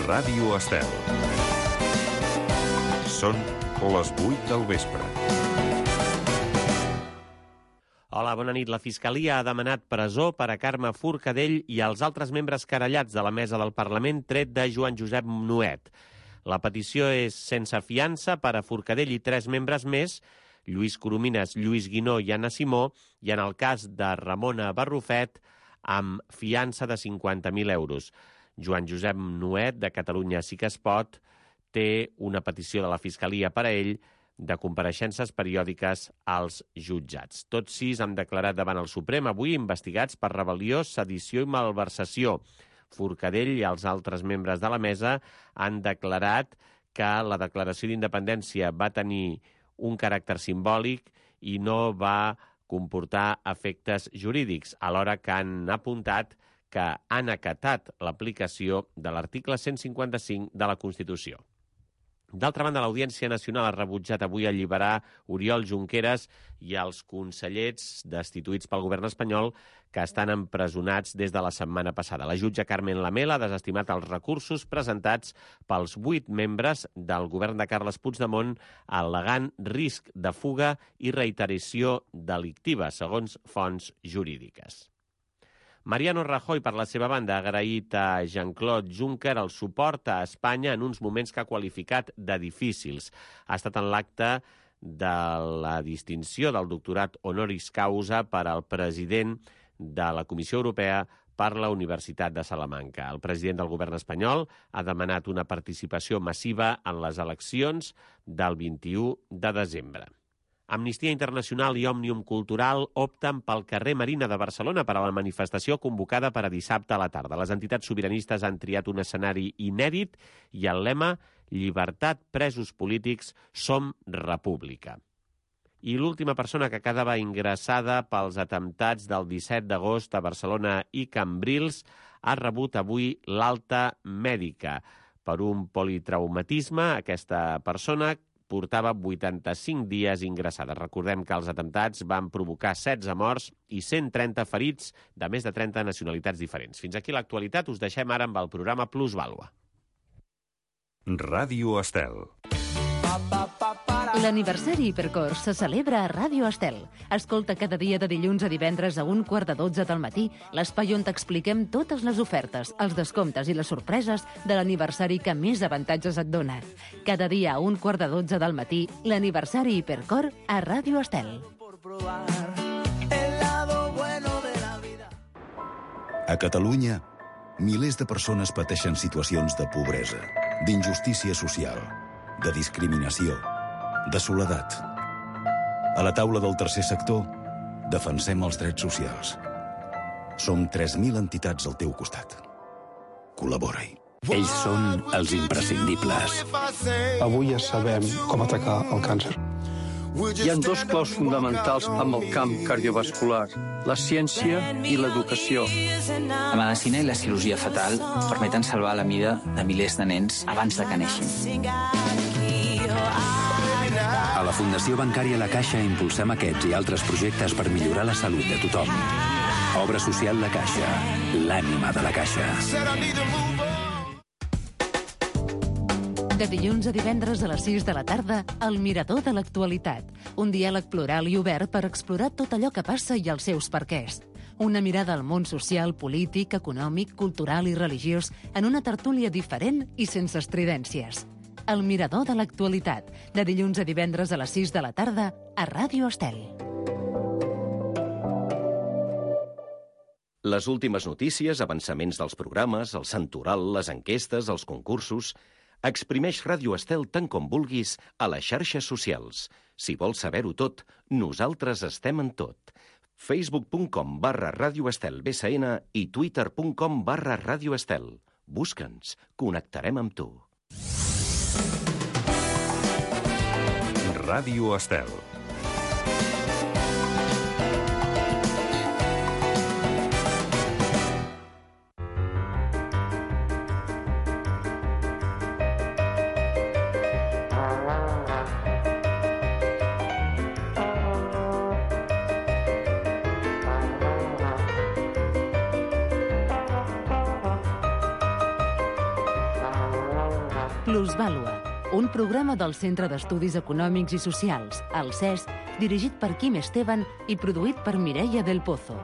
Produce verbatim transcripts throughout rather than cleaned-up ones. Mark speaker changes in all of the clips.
Speaker 1: Ràdio Estel. Són les vuit del vespre.
Speaker 2: Hola, bona nit. La Fiscalia ha demanat presó per a Carme Forcadell i als altres membres querellats de la mesa del Parlament, tret de Joan Josep Nuet. La petició és sense fiança per a Forcadell i tres membres més, Lluís Coromines, Lluís Guinó i Anna Simó, i en el cas de Ramona Barrufet, amb fiança de cinquanta mil euros. Joan Josep Nuet, de Catalunya Sí que es pot, té una petició de la Fiscalia per a ell de compareixences periòdiques als jutjats. Tots sis han declarat davant el Suprem avui investigats per rebel·lió, sedició i malversació. Forcadell i els altres membres de la mesa han declarat que la declaració d'independència va tenir un caràcter simbòlic i no va comportar efectes jurídics, alhora que han apuntat que han acatat l'aplicació de l'article cent cinquanta-cinc de la Constitució. D'altra banda, l'Audiència Nacional ha rebutjat avui alliberar Oriol Junqueras i els consellers destituïts pel govern espanyol que estan empresonats des de la setmana passada. La jutge Carmen Lamela ha desestimat els recursos presentats pels vuit membres del govern de Carles Puigdemont al·legant risc de fuga i reiteració delictiva, segons fonts jurídiques. Mariano Rajoy, per la seva banda, ha agraït a Jean-Claude Juncker el suport a Espanya en uns moments que ha qualificat de difícils. Ha estat en l'acte de la distinció del doctorat honoris causa per al president de la Comissió Europea per la Universitat de Salamanca. El president del govern espanyol ha demanat una participació massiva en les eleccions del vint-i-u de desembre. Amnistia Internacional i Òmnium Cultural opten pel carrer Marina de Barcelona per a la manifestació convocada per a dissabte a la tarda. Les entitats sobiranistes han triat un escenari inèdit i el lema «Llibertat, presos polítics, som república». I l'última persona que quedava ingressada pels atemptats del disset d'agost a Barcelona i Cambrils ha rebut avui l'alta mèdica. Per un politraumatisme, aquesta persona portava vuitanta-cinc dies ingressada. Recordem que els atemptats van provocar setze morts i cent trenta ferits de més de trenta nacionalitats diferents. Fins aquí l'actualitat. Us deixem ara amb el programa Plusvàlua.
Speaker 1: Ràdio Estel.
Speaker 3: L'aniversari Hipercor se celebra a Ràdio Estel. Escolta cada dia de dilluns a divendres a un quart de dotze del matí l'espai on t'expliquem totes les ofertes, els descomptes i les sorpreses de l'aniversari que més avantatges et dona. Cada dia a un quart de dotze del matí, l'aniversari Hipercor a Ràdio Estel.
Speaker 4: A Catalunya, milers de persones pateixen situacions de pobresa, d'injustícia social, de discriminació, de soledat. A la taula del tercer sector, defensem els drets socials. Som tres mil entitats al teu costat. Col·labora-hi.
Speaker 5: Ells són els imprescindibles.
Speaker 6: Avui ja sabem com atacar el càncer.
Speaker 7: Hi ha dos claus fonamentals amb el camp cardiovascular, la ciència i l'educació.
Speaker 8: La medicina i la cirurgia fetal permeten salvar la vida de milers de nens abans de que neixin.
Speaker 5: A la Fundació Bancària La Caixa impulsem aquests i altres projectes per millorar la salut de tothom. Obra social La Caixa, l'ànima de la Caixa.
Speaker 3: De dilluns a divendres a les sis de la tarda, El Mirador de l'Actualitat. Un diàleg plural i obert per explorar tot allò que passa i els seus perquès. Una mirada al món social, polític, econòmic, cultural i religiós en una tertúlia diferent i sense estridències. El Mirador de l'Actualitat, de dilluns a divendres a les sis de la tarda, a Ràdio Estel.
Speaker 9: Les últimes notícies, avançaments dels programes, el santoral, les enquestes, els concursos... Exprimeix Ràdio Estel tant com vulguis a les xarxes socials. Si vols saber-ho tot, nosaltres estem en tot. facebook punt com barra Ràdio Estel B S N i twitter punt com barra Ràdio Estel. Busca'ns, connectarem amb tu.
Speaker 1: Ràdio Estel.
Speaker 3: Plusvàlua, un programa del Centre d'Estudis Econòmics i Socials, el C E S, dirigit per Quim Esteban i produït per Mireia del Pozo.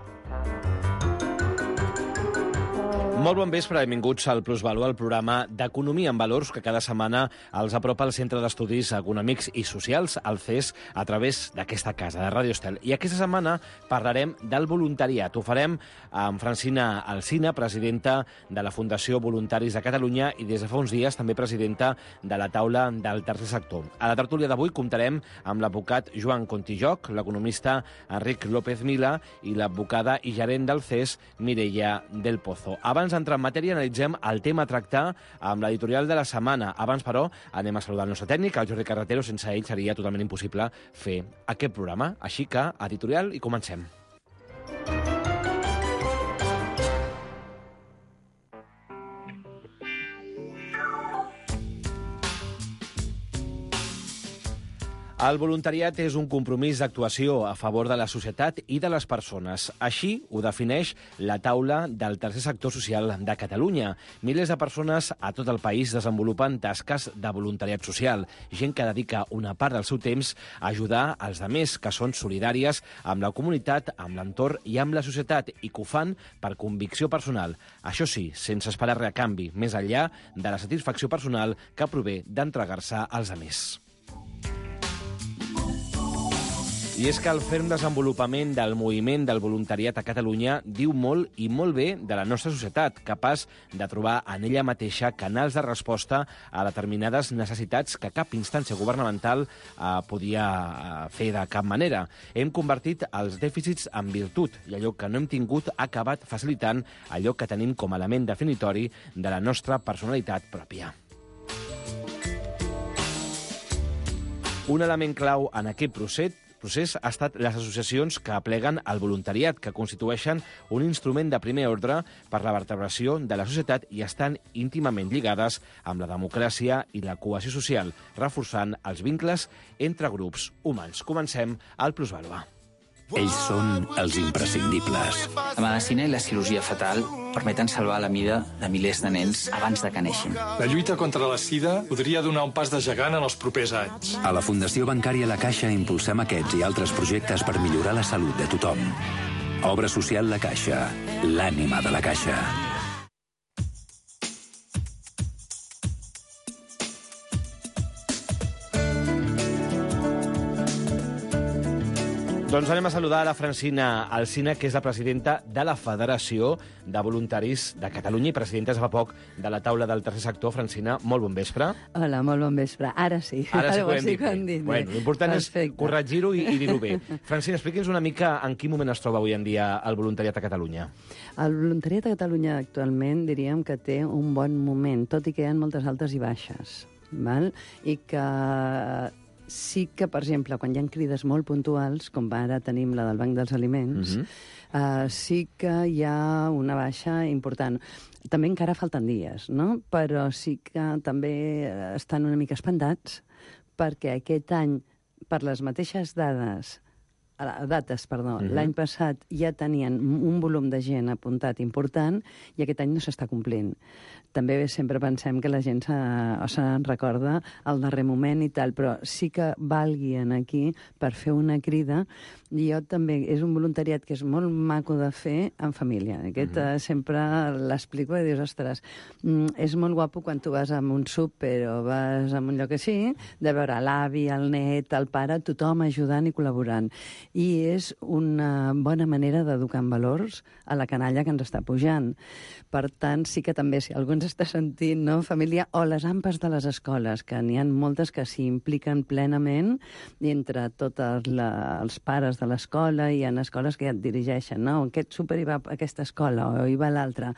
Speaker 10: Molt bon vespre, benvinguts al Plusvàlua, el programa d'Economia en Valors que cada setmana els apropa el Centre d'Estudis Econòmics i Socials, el C E S, a través d'aquesta casa, de Ràdio Estel. I aquesta setmana parlarem del voluntariat. Ho farem amb Francina Alsina, presidenta de la Fundació Voluntaris de Catalunya i des de fa uns dies també presidenta de la taula del tercer sector. A la tertúlia d'avui comptarem amb l'advocat Joan Contijoc, l'economista Enric López Mila i l'advocada i gerent del C E S, Mireia del Pozo. Abans d'entrar en matèria, analitzem el tema a tractar amb l'editorial de la setmana. Abans, però, anem a saludar el nostre tècnic, el Jordi Carretero. Sense ell seria totalment impossible fer aquest programa. Així que, editorial, i comencem. El voluntariat és un compromís d'actuació a favor de la societat i de les persones. Així ho defineix la taula del tercer sector social de Catalunya. Milers de persones a tot el país desenvolupen tasques de voluntariat social, gent que dedica una part del seu temps a ajudar els altres, que són solidàries amb la comunitat, amb l'entorn i amb la societat, i que ho fan per convicció personal. Això sí, sense esperar res a canvi, més enllà de la satisfacció personal que prové d'entregar-se als altres. I és que el ferm desenvolupament del moviment del voluntariat a Catalunya diu molt i molt bé de la nostra societat, capaç de trobar en ella mateixa canals de resposta a determinades necessitats que cap instància governamental eh, podia eh, fer de cap manera. Hem convertit els dèficits en virtut i allò que no hem tingut ha acabat facilitant allò que tenim com a element definitori de la nostra personalitat pròpia. Un element clau en aquest procés procés ha estat les associacions que apleguen el voluntariat, que constitueixen un instrument de primer ordre per la vertebració de la societat i estan íntimament lligades amb la democràcia i la cohesió social, reforçant els vincles entre grups humans. Comencem al Plusvàlua.
Speaker 5: Ells són els imprescindibles.
Speaker 8: La medicina i la cirurgia fetal permeten salvar la vida de milers de nens abans de que neixin.
Speaker 11: La lluita contra la sida podria donar un pas de gegant en els propers anys.
Speaker 5: A la Fundació Bancària La Caixa impulsem aquests i altres projectes per millorar la salut de tothom. Obra social La Caixa, l'ànima de la Caixa.
Speaker 10: Doncs anem a saludar a la Francina Alsina, que és la presidenta de la Federació de Voluntaris de Catalunya i presidenta fa poc de la taula del tercer sector. Francina, molt bon vespre.
Speaker 12: Hola, molt bon vespre. Ara sí.
Speaker 10: Ara sí que ho hem
Speaker 12: sí
Speaker 10: dit bé.
Speaker 12: dit
Speaker 10: Bueno, l'important és corregir-ho i, i dir-ho bé. Francina, expliqui'ns una mica en quin moment es troba avui en dia el voluntariat a Catalunya.
Speaker 12: El voluntariat a Catalunya actualment diríem que té un bon moment, tot i que hi ha moltes altes i baixes, val? I que sí que, per exemple, quan hi ha crides molt puntuals, com ara tenim la del Banc dels Aliments, uh-huh. uh, sí que hi ha una baixa important. També encara falten dies, no? Però sí que també estan una mica espantats perquè aquest any, per les mateixes dades, dates, perdó, uh-huh. l'any passat ja tenien un volum de gent apuntat important i aquest any no s'està complint. També sempre pensem que la gent se, se'n recorda al darrer moment i tal, però sí que valgui aquí per fer una crida. I jo també, és un voluntariat que és molt maco de fer en família. Aquest uh-huh. sempre l'explico i dius, ostres, mm, és molt guapo quan tu vas a un súper o vas a un lloc així, de veure l'avi, el net, el pare, tothom ajudant i col·laborant. I és una bona manera d'educar en valors a la canalla que ens està pujant. Per tant, sí que també, si algú ens està sentint, no, família, o les ampes de les escoles, que n'hi ha moltes que s'hi impliquen plenament, i entre tots els pares de l'escola, hi ha escoles que ja et dirigeixen, no, aquest súper hi va a aquesta escola, o hi va a l'altra,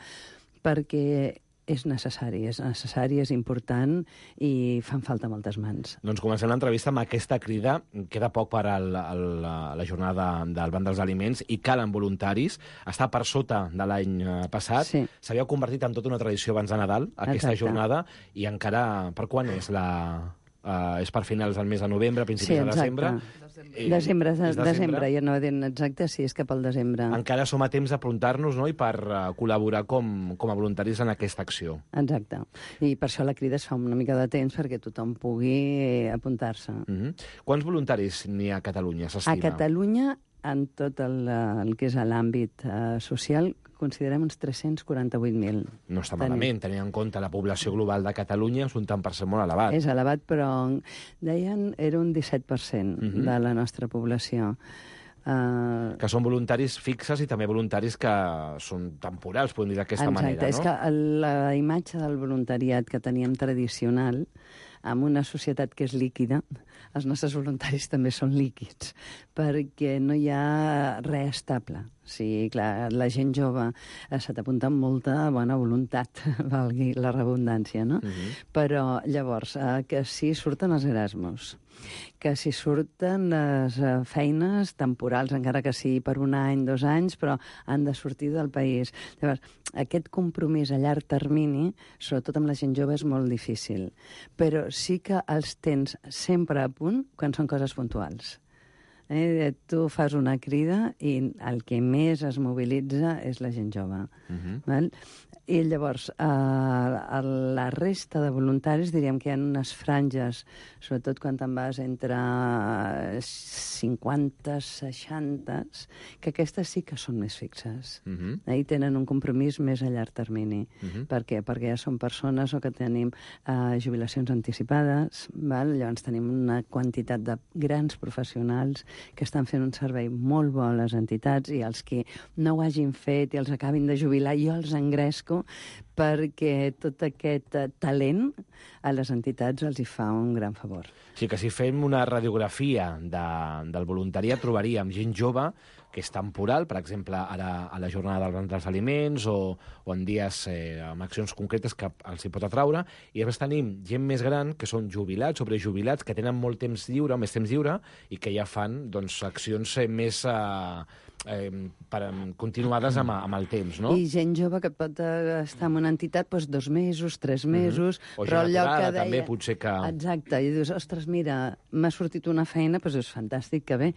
Speaker 12: perquè és necessari, és necessari, és important i fan falta moltes mans.
Speaker 10: Doncs comencem l'entrevista amb aquesta crida. Queda poc per a la, la, la jornada del Banc dels Aliments i calen voluntaris. Està per sota de l'any passat.
Speaker 12: Sí.
Speaker 10: S'havia convertit en tota una tradició abans de Nadal, aquesta
Speaker 12: Exacte.
Speaker 10: jornada, i encara... Per quan és la... Uh, és per finals del mes de novembre, principis
Speaker 12: sí,
Speaker 10: de desembre.
Speaker 12: Eh, desembre, de, desembre, desembre, ja no dient exacte, sí, és cap al desembre.
Speaker 10: Encara som a temps d'aprontar-nos, no?, i per uh, col·laborar com, com a voluntaris en aquesta acció.
Speaker 12: Exacte. I per això la crida es fa una mica de temps perquè tothom pugui apuntar-se.
Speaker 10: Mm-hmm. Quants voluntaris n'hi ha a Catalunya, s'estima?
Speaker 12: A Catalunya, en tot el, el que és l'àmbit uh, social, considerem uns tres-cents quaranta-vuit mil.
Speaker 10: No està malament, tenint en compte la població global de Catalunya, és un tant per cent molt elevat.
Speaker 12: És elevat, però deien era un disset per cent uh-huh. de la nostra població. Uh...
Speaker 10: Que són voluntaris fixes i també voluntaris que són temporals, podem dir d'aquesta manera, no?
Speaker 12: És que la imatge del voluntariat que teníem tradicional, en una societat que és líquida, els nostres voluntaris també són líquids, perquè no hi ha res estable. Sí, clar, la gent jove eh, se t'apunta amb molta bona voluntat, valgui la redundància, no? Uh-huh. Però, llavors, eh, que si surten els Erasmus, que si surten les eh, feines temporals, encara que sigui per un any, dos anys, però han de sortir del país. Llavors, aquest compromís a llarg termini, sobretot amb la gent jove, és molt difícil. Però sí que els tens sempre a punt quan són coses puntuals. Eh, tu fas una crida i el que més es mobilitza és la gent jove. Uh-huh. Val? I llavors, eh, la resta de voluntaris, diríem que hi ha unes franges, sobretot quan te'n vas entre cinquanta, seixanta, que aquestes sí que són més fixes. Uh-huh. Eh, I tenen un compromís més a llarg termini. Uh-huh. Per què? Perquè ja són persones o que tenim eh, jubilacions anticipades, val? Llavors tenim una quantitat de grans professionals que estan fent un servei molt bo a les entitats i els que no ho hagin fet i els acabin de jubilar, jo els engresco perquè tot aquest talent a les entitats els hi fa un gran favor.
Speaker 10: Sí, que si fem una radiografia de, del voluntariat trobaríem gent jove que és temporal, per exemple, ara a la jornada del Banc dels Aliments o, o en dies eh, amb accions concretes que els hi pot atraure, i després tenim gent més gran que són jubilats, sobrejubilats, que tenen molt temps lliure, més temps lliure, i que ja fan doncs, accions eh, més eh, eh, per, continuades amb, amb el temps, no?
Speaker 12: I gent jove que pot estar en una entitat doncs, dos mesos, tres mesos, mm-hmm. o però el lloc que deia...
Speaker 10: també potser que...
Speaker 12: Exacte, i dius, ostres, mira, m'ha sortit una feina, doncs és fantàstic, que bé,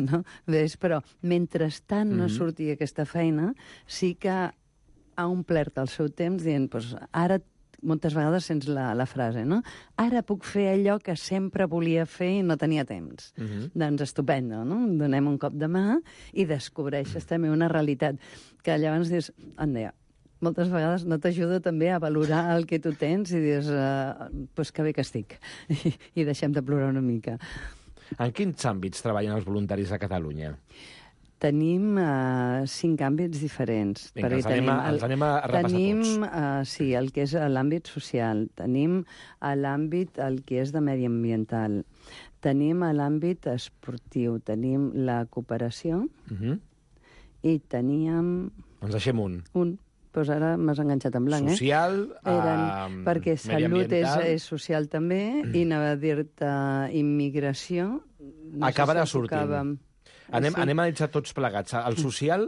Speaker 12: no? Ves, però mentrestant no mm-hmm. surti aquesta feina, sí que ha omplert el seu temps dient, doncs ara moltes vegades sents la, la frase, no? Ara puc fer allò que sempre volia fer i no tenia temps. Uh-huh. Doncs estupendo, no? Donem un cop de mà i descobreixes uh-huh. també una realitat que llavors dius, anda, moltes vegades no t'ajuda també a valorar el que tu tens i dius, uh, pues que bé que estic, I, i deixem de plorar una mica.
Speaker 10: En quins àmbits treballen els voluntaris a Catalunya?
Speaker 12: Tenim uh, cinc àmbits diferents.
Speaker 10: Vinga, els anem, a, els anem a repassar
Speaker 12: tenim,
Speaker 10: tots.
Speaker 12: Uh, sí, el que és l'àmbit social. Tenim l'àmbit el que és de mediambiental. Tenim l'àmbit esportiu. Tenim la cooperació. Uh-huh. I teníem...
Speaker 10: Ens deixem un.
Speaker 12: Un. Pues ara m'has enganxat en blanc,
Speaker 10: social,
Speaker 12: eh? Eren,
Speaker 10: uh,
Speaker 12: perquè salut és, és social també, mm. i anava a dir-te immigració.
Speaker 10: No acabarà si sortint. Tocàvem. Anem, sí. anem a analitzar tots plegats. El social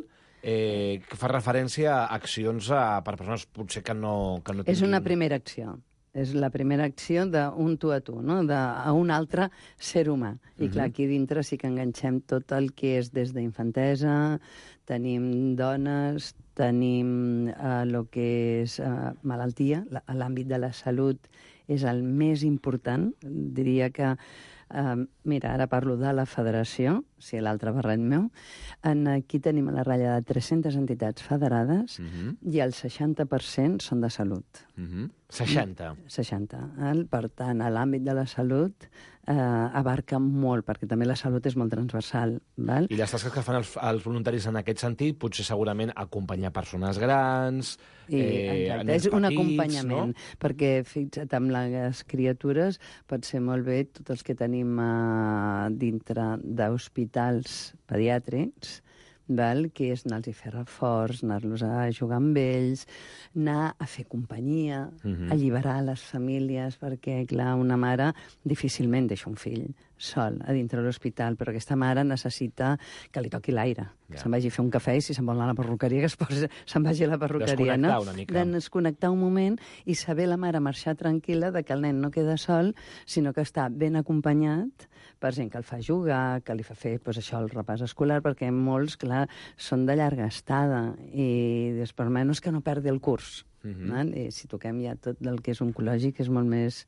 Speaker 10: eh, fa referència a accions a, per persones potser que no, que no tinguin...
Speaker 12: És una primera acció. És la primera acció d'un tu a tu, no? De, a un altre ser humà. I uh-huh. clar, aquí dintre sí que enganxem tot el que és des d'infantesa, tenim dones, tenim el uh, que és uh, malaltia, l'àmbit de la salut és el més important. Diria que Uh, mira, ara parlo de la federació, si l'altre barret meu. En, aquí tenim a la ratlla de tres-centes entitats federades uh-huh. i el seixanta per cent són de salut.
Speaker 10: Uh-huh. seixanta?
Speaker 12: seixanta. Per tant, a l'àmbit de la salut eh, abarca molt, perquè també la salut és molt transversal. Val?
Speaker 10: I les tasques que fan els, els voluntaris en aquest sentit, potser segurament acompanyar persones grans,
Speaker 12: I, eh, nens és un petits, acompanyament, no? Perquè fixa't, amb les criatures pot ser molt bé tots els que tenim eh, dintre d'hospitals pediàtrics, val? Que és anar-los a fer reforç, anar-los a jugar amb ells, anar a fer companyia, uh-huh. alliberar les famílies, perquè, clar, una mare difícilment deixa un fill sol a dintre l'hospital, però aquesta mare necessita que li toqui l'aire, que ja. se'n vagi a fer un cafè i si se'n vol anar a la perruqueria, que es posi, se'n vagi a la perruqueria.
Speaker 10: Desconnectar
Speaker 12: no?
Speaker 10: una mica.
Speaker 12: De desconnectar un moment i saber la mare marxar tranquil·la de que el nen no queda sol, sinó que està ben acompanyat per gent que el fa jugar, que li fa fer pues, això, el repàs escolar, perquè molts, clar, són de llarga estada i per menys que no perdi el curs. Uh-huh. I si toquem ja tot el que és oncològic és molt més,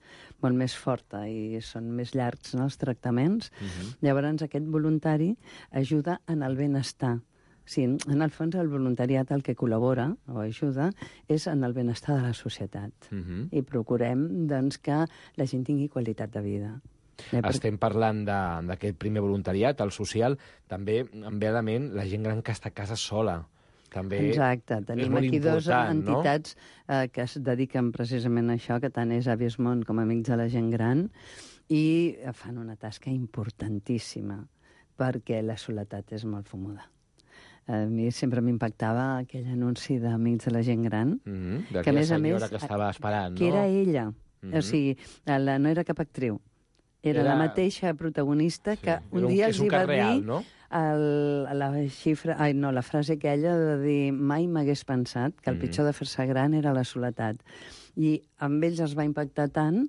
Speaker 12: molt més forta i són més llargs, no, els tractaments. Uh-huh. Llavors aquest voluntari ajuda en el benestar. Sí, en el fons el voluntariat el que col·labora o ajuda és en el benestar de la societat. Uh-huh. I procurem doncs, que la gent tingui qualitat de vida.
Speaker 10: Estem parlant d'aquest primer voluntariat, el social, també em ve a la ment la gent gran que està a casa sola. També
Speaker 12: Exacte, tenim aquí dues entitats no? eh, que es dediquen precisament a això, que tant és Avis Món com Amics de la Gent Gran, i fan una tasca importantíssima, perquè la soledat és molt fumuda. A mi sempre m'impactava aquell anunci d'Amics de la Gent Gran,
Speaker 10: mm-hmm. que a més a més... que estava esperant,
Speaker 12: que
Speaker 10: no?
Speaker 12: era ella, mm-hmm. o sigui, la, no era cap actriu, era, era la mateixa protagonista que sí. un dia els hi va real, dir... No? El, la xifra, ai, no, la frase aquella de dir mai m'hagués pensat que el mm-hmm. pitjor de fer-se gran era la soledat. I amb ells els va impactar tant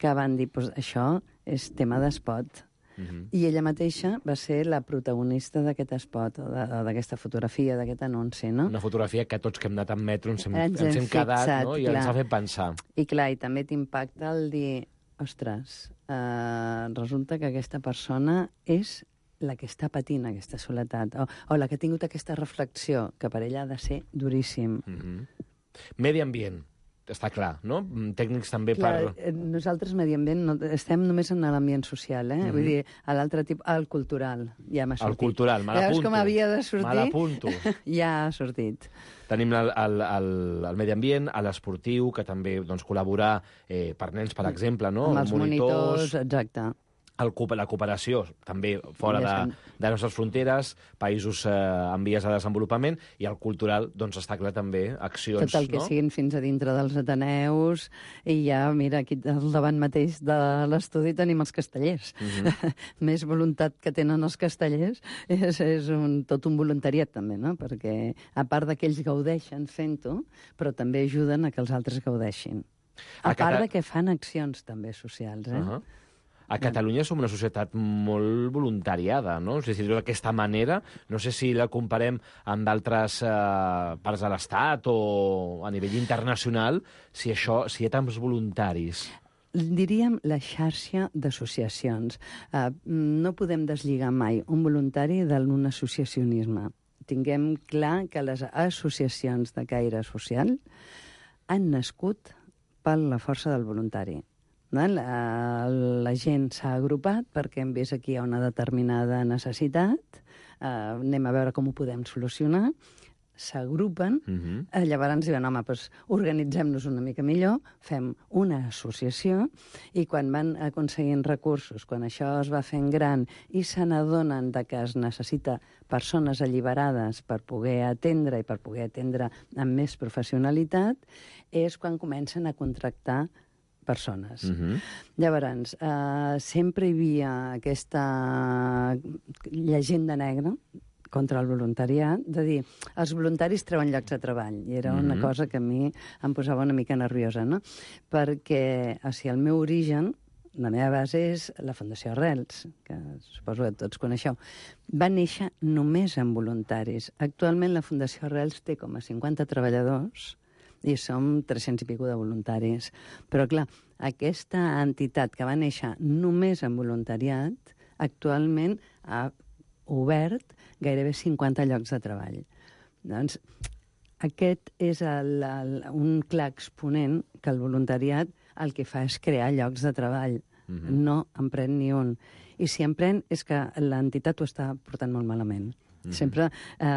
Speaker 12: que van dir, pues, això és tema d'espot. Mm-hmm. I ella mateixa va ser la protagonista d'aquest espot, d'aquesta fotografia, d'aquest anunci, no?
Speaker 10: Una fotografia que tots que hem anat en metro ens hem, ens hem, ens hem quedat, fixat, no? I clar. Ens ha fet pensar.
Speaker 12: I clar, i també t'impacta el dir, ostres, eh, resulta que aquesta persona és la que està patint aquesta soledat, o, o la que ha tingut aquesta reflexió, que per ella ha de ser duríssim.
Speaker 10: Mm-hmm. Medi ambient, està clar, no? Tècnics també
Speaker 12: clar,
Speaker 10: per...
Speaker 12: Nosaltres, medi ambient, no, estem només en l'ambient social, eh? Mm-hmm. Vull dir, a l'altre tipus, al cultural, ja m'ha sortit.
Speaker 10: El cultural, me l'apunto.
Speaker 12: Ja veus com havia de sortir?
Speaker 10: Me l'apunto.
Speaker 12: Ja ha sortit.
Speaker 10: Tenim el, el, el, el medi ambient, a l'esportiu, que també doncs, col·laborar eh, per nens, per exemple, no?
Speaker 12: Amb els monitors, monitors exacte.
Speaker 10: El, la cooperació, també fora de, de les nostres fronteres, països eh, en vies de desenvolupament, i el cultural, doncs està clar també, accions,
Speaker 12: tot el que
Speaker 10: no?
Speaker 12: siguin fins a dintre dels Ateneus, i ja, mira, aquí al davant mateix de l'estudi tenim els castellers. Mm-hmm. Més voluntat que tenen els castellers és, és un, tot un voluntariat, també, no? Perquè, a part de que ells gaudeixen fent-ho, però també ajuden a que els altres gaudeixin. A, a part Cata... de que fan accions, també, socials, eh? Uh-huh.
Speaker 10: A Catalunya som una societat molt voluntariada, no? O sigui, d'aquesta manera, no sé si la comparem amb d'altres eh, parts de l'Estat o a nivell internacional, si això, si hi ha tants voluntaris.
Speaker 12: Diríem la xarxa d'associacions. Uh, no podem deslligar mai un voluntari d'un associacionisme. Tinguem clar que les associacions de caire social han nascut per la força del voluntari. La, la gent s'ha agrupat perquè hem vist aquí hi ha una determinada necessitat, eh, anem a veure com ho podem solucionar, s'agrupen, uh-huh. eh, llavors diuen, home, doncs organitzem-nos una mica millor, fem una associació, i quan van aconseguint recursos, quan això es va fent gran i se n'adonen que es necessita persones alliberades per poder atendre i per poder atendre amb més professionalitat, és quan comencen a contractar persones. Uh-huh. Llavors, eh, sempre hi havia aquesta llegenda negra contra el voluntariat, de dir, els voluntaris treuen llocs de treball, i era una uh-huh. cosa que a mi em posava una mica nerviosa, no? Perquè, o sigui, el meu origen, la meva base és la Fundació Arrels, que suposo que tots coneixeu. Va néixer només amb voluntaris. Actualment la Fundació Arrels té com a cinquanta treballadors, i som tres-cents i pico de voluntaris. Però, clar, aquesta entitat que va néixer només en voluntariat, actualment ha obert gairebé cinquanta llocs de treball. Doncs aquest és el, el, un clar exponent que el voluntariat el que fa és crear llocs de treball. Mm-hmm. No en pren ni un. I si en pren és que l'entitat ho està portant molt malament. Mm-hmm. Sempre eh,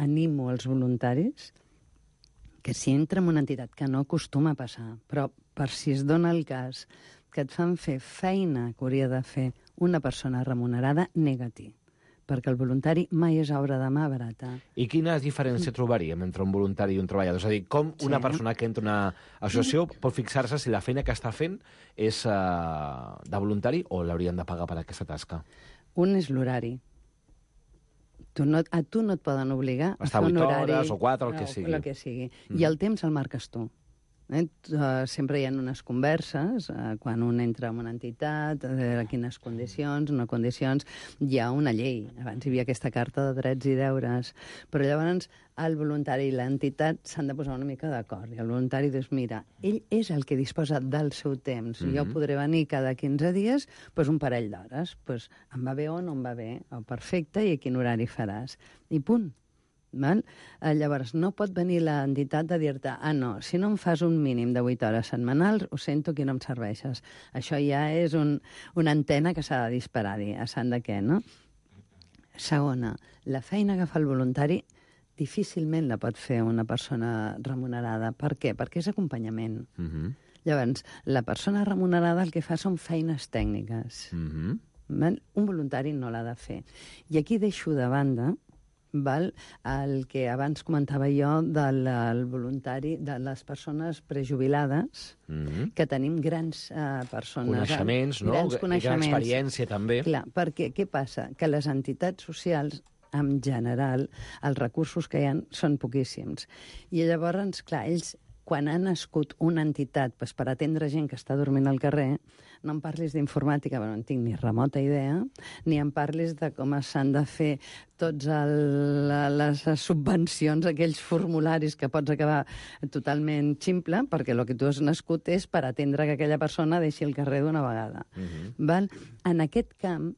Speaker 12: animo els voluntaris que si entra en una entitat que no acostuma a passar, però per si es dona el cas que et fan fer feina que hauria de fer una persona remunerada, nega-t'hi. perquè el voluntari mai és obra de mà barata.
Speaker 10: I quina diferència trobaríem entre un voluntari i un treballador? És a dir, com una sí. persona que entra a una associació pot fixar-se si la feina que està fent és uh, de voluntari o l'haurien de pagar per aquesta tasca?
Speaker 12: Un és l'horari. Tu no, a tu no et poden obligar a
Speaker 10: fer
Speaker 12: un horari...
Speaker 10: Estar vuit hores o quatre, el que sigui.
Speaker 12: El que sigui. Mm. I el temps el marques tu. Eh? Uh, sempre hi ha unes converses, uh, quan un entra en una entitat, a veure quines condicions, no condicions, hi ha una llei. Abans hi havia aquesta carta de drets i deures, però llavors el voluntari i l'entitat s'han de posar una mica d'acord. I el voluntari dius, mira, ell és el que disposa del seu temps. Mm-hmm. Jo podré venir cada quinze dies pues, un parell d'hores. Pues, em va bé o no em va bé? Oh, perfecte, i a quin horari faràs? I punt. Val? Llavors, no pot venir l'entitat a dir-te ah, no, si no em fas un mínim de vuit hores setmanals, ho sento, que no em serveixes. Això ja és un, una antena que s'ha de disparar, dir, a sant de què, no? Segona, la feina que fa el voluntari difícilment la pot fer una persona remunerada. Per què? Perquè és acompanyament. Mm-hmm. Llavors, la persona remunerada el que fa són feines tècniques. Mm-hmm. Un voluntari no l'ha de fer. I aquí deixo de banda val? El que abans comentava jo del el voluntari, de les persones prejubilades, mm-hmm. que tenim grans uh, persones...
Speaker 10: Coneixements, no?
Speaker 12: Grans coneixements.
Speaker 10: Gran experiència, també.
Speaker 12: Clar, perquè què passa? Que les entitats socials, en general, els recursos que hi ha són poquíssims. I llavors, clar, ells, quan ha nascut una entitat pues, per atendre gent que està dormint al carrer, no em parlis d'informàtica, però no en tinc ni remota idea, ni em parlis de com s'han de fer tots el, les subvencions, aquells formularis que pots acabar totalment ximple, perquè el que tu has nascut és per atendre que aquella persona deixi el carrer d'una vegada. Uh-huh. Val? En aquest camp,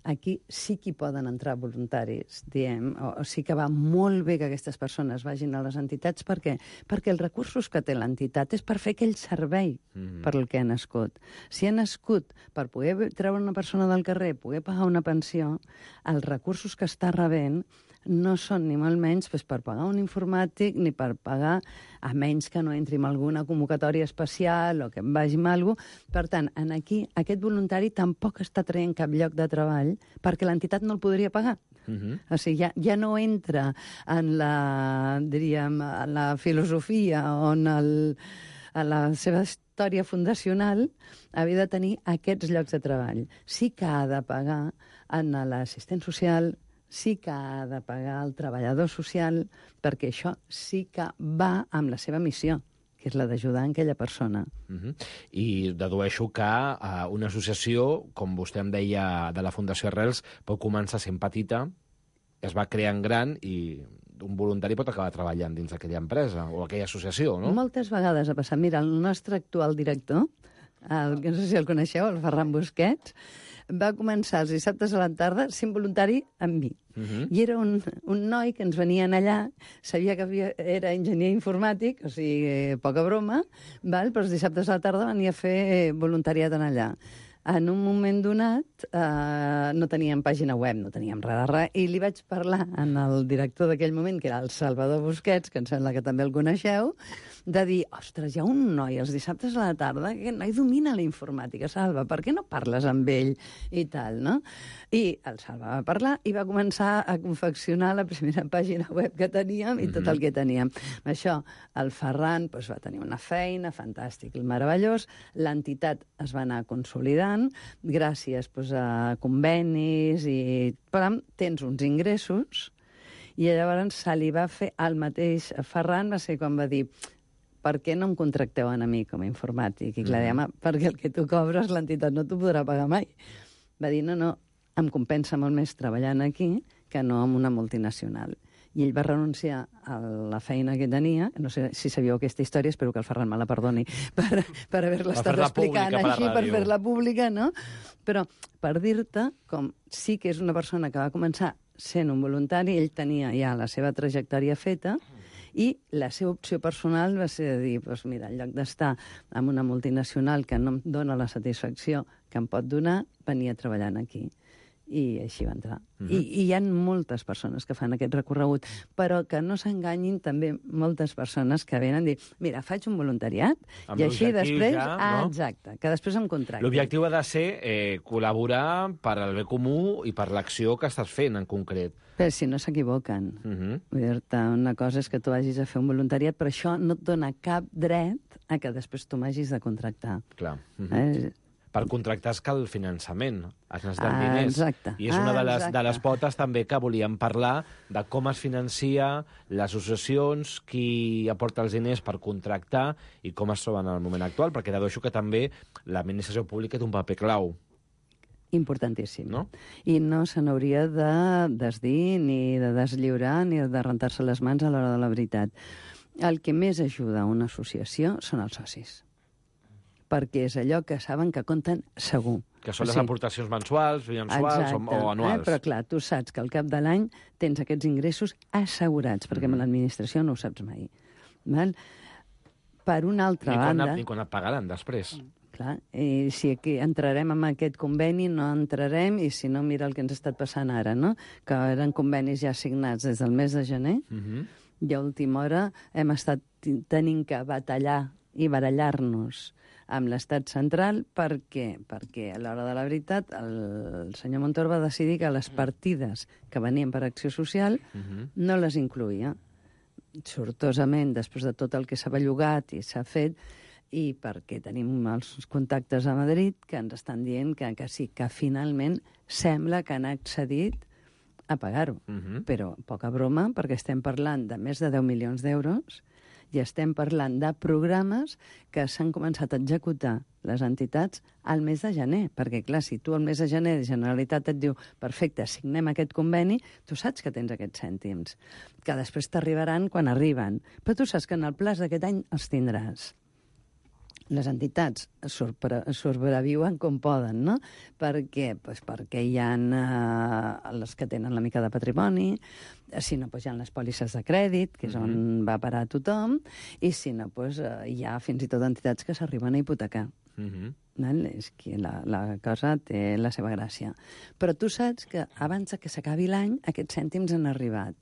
Speaker 12: aquí sí que hi poden entrar voluntaris, diem, o, o sí que va molt bé que aquestes persones vagin a les entitats. Per què? Perquè els recursos que té l'entitat és per fer aquell servei mm-hmm. per el que ha nascut. Si ha nascut per poder treure una persona del carrer, poder pagar una pensió, els recursos que està rebent no són ni molt menys pues, per pagar un informàtic ni per pagar, a menys que no entri en alguna convocatòria especial o que em vagi amb alguna cosa. Per tant, en aquí, aquest voluntari tampoc està traient cap lloc de treball perquè l'entitat no el podria pagar. Uh-huh. O sigui, ja, ja no entra en la, diríem, en la filosofia o en, el, en la seva història fundacional havia de tenir aquests llocs de treball. Sí que ha de pagar en l'assistent social, sí que ha de pagar el treballador social, perquè això sí que va amb la seva missió, que és la d'ajudar aquella persona.
Speaker 10: Uh-huh. I dedueixo que uh, una associació, com vostè em deia, de la Fundació Arrels, pot començar sent petita, es va creant gran i un voluntari pot acabar treballant dins d'aquella empresa o aquella associació, no?
Speaker 12: Moltes vegades ha passat. Mira, el nostre actual director, el, no sé si el coneixeu, el Ferran Busquets, va començar els dissabtes a la tarda sent voluntari amb mi. Uh-huh. I era un, un noi que ens venien allà, sabia que havia, era enginyer informàtic, o sigui, eh, poca broma, val? Però els dissabtes a la tarda venia a fer eh, voluntariat en allà. En un moment donat eh, no teníem pàgina web, no teníem res de res, i li vaig parlar en el director d'aquell moment, que era el Salvador Busquets, que em sembla que també el coneixeu, de dir, ostres, hi ha un noi els dissabtes a la tarda, que noi domina la informàtica, Salva, per què no parles amb ell? I tal, no? I el Salva va parlar i va començar a confeccionar la primera pàgina web que teníem i tot el que teníem. Això, el Ferran doncs, va tenir una feina fantàstic, meravellós, l'entitat es va anar consolidant, gràcies doncs, a convenis i... Però tens uns ingressos i llavors se li va fer el mateix. Ferran va ser quan va dir per què no em contracteu a mi com a informàtic? I clar, mm-hmm. dèiem, perquè el que tu cobres l'entitat no t'ho podrà pagar mai. Va dir, no, no, em compensa molt més treballant aquí que no en una multinacional. I ell va renunciar a la feina que tenia, no sé si sabíeu aquesta història, espero que el Ferran me la perdoni per, per haver-la estat explicant així, per fer-la pública, no? Però per dir-te com sí que és una persona que va començar sent un voluntari, ell tenia ja la seva trajectòria feta, i la seva opció personal va ser de dir, doncs mira, en lloc d'estar en una multinacional que no em dona la satisfacció que em pot donar, venir a treballar aquí. I així va entrar.
Speaker 10: Mhm.
Speaker 12: I, I hi ha moltes persones que fan aquest recorregut, però que no s'enganyin també moltes persones que venen a dir, mira, faig un voluntariat
Speaker 10: Amb
Speaker 12: i així
Speaker 10: l'objectiu
Speaker 12: després...
Speaker 10: ja,
Speaker 12: ah,
Speaker 10: no?
Speaker 12: exacte, que després em contractin.
Speaker 10: L'objectiu ha de ser eh, col·laborar per al bé comú i per l'acció que estàs fent, en concret.
Speaker 12: Però si no s'equivoquen.
Speaker 10: Mhm.
Speaker 12: Vull dir-te, una cosa és que tu vagis a fer un voluntariat, però això no et dona cap dret a que després tu m'hagis de contractar.
Speaker 10: Clar. Mhm.
Speaker 12: Eh?
Speaker 10: Per contractar es cal finançament, es necessiten
Speaker 12: Ah,
Speaker 10: diners.
Speaker 12: exacte.
Speaker 10: I és una
Speaker 12: Ah,
Speaker 10: de les,
Speaker 12: exacte.
Speaker 10: de les potes també que volíem parlar de com es financia les associacions, qui aporta els diners per contractar i com es troben en el moment actual, perquè dedueixo que també l'administració pública té un paper clau.
Speaker 12: Importantíssim.
Speaker 10: No?
Speaker 12: I no se n'hauria de desdir, ni de deslliurar, ni de rentar-se les mans a l'hora de la veritat. El que més ajuda a una associació són els socis, perquè és allò que saben que compten segur.
Speaker 10: Que són les
Speaker 12: O sigui,
Speaker 10: aportacions mensuals, mensuals o,
Speaker 12: exacte,
Speaker 10: o anuals.
Speaker 12: Eh? Però clar, tu saps que al cap de l'any tens aquests ingressos assegurats, perquè amb l'administració no ho saps mai. Val? Per una altra
Speaker 10: I quan,
Speaker 12: banda...
Speaker 10: I quan et pagaran després.
Speaker 12: Clar, i si aquí entrarem en aquest conveni, no entrarem, i si no, mira el que ens ha estat passant ara, no? Que eren convenis ja signats des del mes de gener,
Speaker 10: Uh -huh.
Speaker 12: i a última hora hem estat tenint que batallar i barallar-nos amb l'estat central perquè, perquè a l'hora de la veritat el senyor Montoro va decidir que les partides que venien per Acció Social
Speaker 10: Uh -huh.
Speaker 12: no les incluïa. Sortosament, després de tot el que s'ha bellugat i s'ha fet, i perquè tenim els contactes a Madrid que ens estan dient que, que sí, que finalment sembla que han accedit a pagar-ho.
Speaker 10: Uh -huh.
Speaker 12: Però poca broma, perquè estem parlant de més de deu milions d'euros i estem parlant de programes que s'han començat a executar les entitats al mes de gener. Perquè, clar, si tu al mes de gener de Generalitat et diu perfecte, signem aquest conveni, tu saps que tens aquests cèntims, que després t'arribaran quan arriben. Però tu saps que en el plaç d'aquest any els tindràs. Les entitats sobreviuen com poden, no? Per què? Pues perquè hi ha eh, les que tenen la mica de patrimoni, si no, pues hi ha les pòlisses de crèdit, que és on va parar tothom, i si no, pues, eh, hi ha fins i tot entitats que s'arriben a hipotecar.
Speaker 10: Uh -huh.
Speaker 12: Val? És que la, la cosa té la seva gràcia. Però tu saps que abans que s'acabi l'any aquests cèntims han arribat.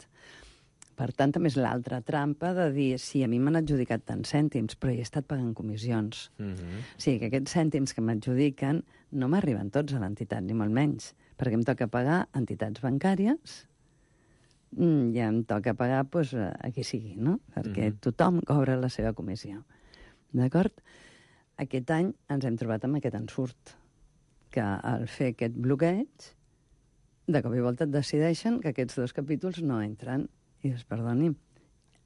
Speaker 12: Per tant, també és l'altra trampa de dir, sí, a mi m'han adjudicat tants cèntims, però he estat pagant comissions.
Speaker 10: Uh -huh.
Speaker 12: O sigui, que aquests cèntims que m'adjudiquen no m'arriben tots a l'entitat, ni molt menys, perquè em toca pagar entitats bancàries i em toca pagar pues, a qui sigui, no? Perquè uh -huh. tothom cobra la seva comissió. D'acord? Aquest any ens hem trobat amb aquest ensurt, que al fer aquest bloqueig, de cop i volta et decideixen que aquests dos capítols no entren. I dius, perdoni,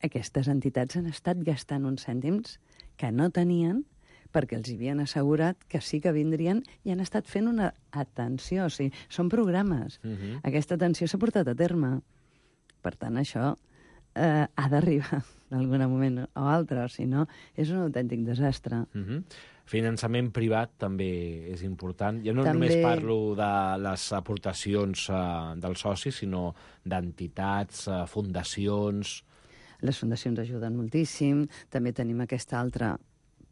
Speaker 12: aquestes entitats han estat gastant uns cèntims que no tenien perquè els havien assegurat que sí que vindrien i han estat fent una atenció. O sigui, són programes.
Speaker 10: Uh -huh.
Speaker 12: Aquesta atenció s'ha portat a terme. Per tant, això eh, ha d'arribar en algun moment o altre, o si no, és un autèntic desastre.
Speaker 10: Uh -huh. Finançament privat també és important. Jo no
Speaker 12: També-
Speaker 10: només parlo de les aportacions uh, dels socis, sinó d'entitats, uh, fundacions...
Speaker 12: Les fundacions ajuden moltíssim. També tenim aquesta altra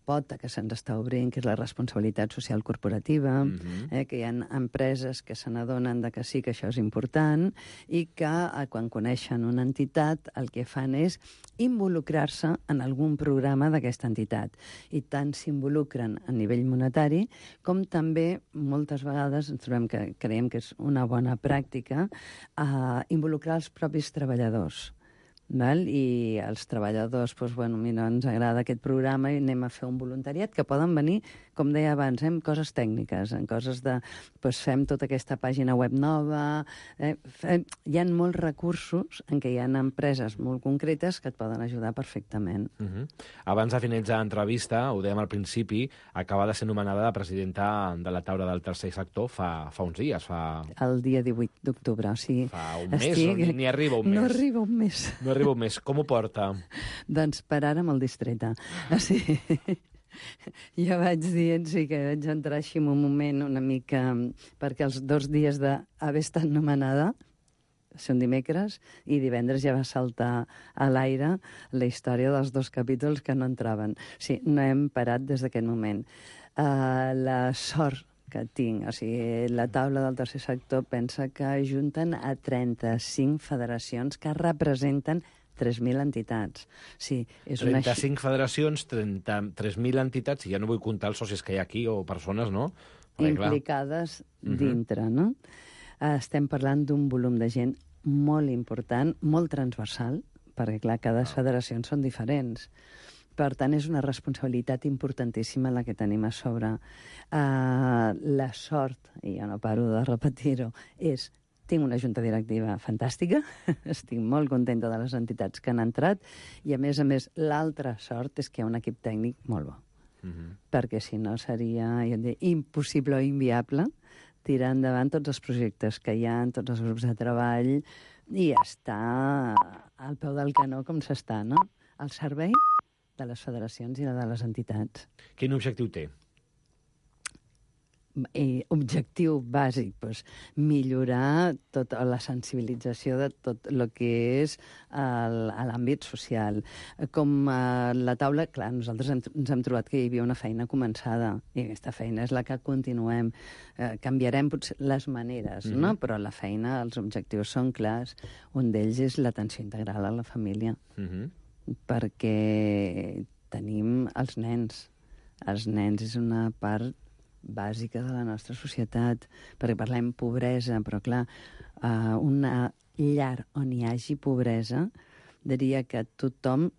Speaker 12: pota que se'ns està obrint, que és la responsabilitat social corporativa,
Speaker 10: Mhm.
Speaker 12: eh, que hi ha empreses que se n'adonen de que sí que això és important i que eh, quan coneixen una entitat el que fan és involucrar-se en algun programa d'aquesta entitat. I tant s'involucren a nivell monetari com també moltes vegades ens trobem que creiem que és una bona pràctica eh, involucrar els propis treballadors. Val? I els treballadors, doncs, bueno, mira, ens agrada aquest programa i anem a fer un voluntariat, que poden venir, com deia abans, eh, en coses tècniques, en coses de, doncs, fem tota aquesta pàgina web nova, eh, fem, hi ha molts recursos en què hi ha empreses molt concretes que et poden ajudar perfectament.
Speaker 10: Uh -huh. Abans de finalitzar l'entrevista, ho dèiem al principi, acaba de ser nomenada la presidenta de la taula del tercer sector fa, fa uns dies, fa...
Speaker 12: El dia divuit d'octubre, o sigui...
Speaker 10: Fa un mes, o ni, ni arriba un mes.
Speaker 12: No arriba un mes.
Speaker 10: No arriba un mes. Com ho porta?
Speaker 12: Doncs per ara molt distreta. O sigui, jo vaig dient, sí, que vaig entrar així en un moment una mica... Perquè els dos dies d'haver estat nomenada, són dimecres, i divendres ja va saltar a l'aire la història dels dos capítols que no entraven. Sí, no hem parat des d'aquest moment. Uh, la sort que tinc. O sigui, la taula del tercer sector pensa que ajunten a trenta-cinc federacions que representen tres mil entitats. Sí, és una...
Speaker 10: trenta-cinc federacions, trenta-tres mil entitats, i ja no vull comptar els socis que hi ha aquí, o persones, no? Perquè,
Speaker 12: implicades clar. dintre, no? Estem parlant d'un volum de gent molt important, molt transversal, perquè, clar, cada oh. federacions són diferents. Per tant, és una responsabilitat importantíssima la que tenim a sobre. Uh, la sort, i ja no paro de repetir-ho, és tinc una junta directiva fantàstica, estic molt contenta de les entitats que han entrat, i a més a més, l'altra sort és que hi ha un equip tècnic molt bo. Uh-huh. Perquè si no seria jo diria, impossible o inviable tirar endavant tots els projectes que hi ha, tots els grups de treball, i estar al peu del canó com s'està, no? Al servei de les federacions i de les entitats.
Speaker 10: Quin objectiu té?
Speaker 12: I objectiu bàsic, doncs, millorar tota la sensibilització de tot el que és l'àmbit social. Com a la taula, clar, nosaltres hem, ens hem trobat que hi havia una feina començada, i aquesta feina és la que continuem. Eh, canviarem potser les maneres, mm-hmm. no? Però la feina, els objectius són clars. Un d'ells és l'atenció integral a la família, mm-hmm. perquè tenim els nens. Els nens és una part bàsica de la nostra societat, perquè parlem pobresa, però clar, uh, una llar on hi hagi pobresa, diria que tothom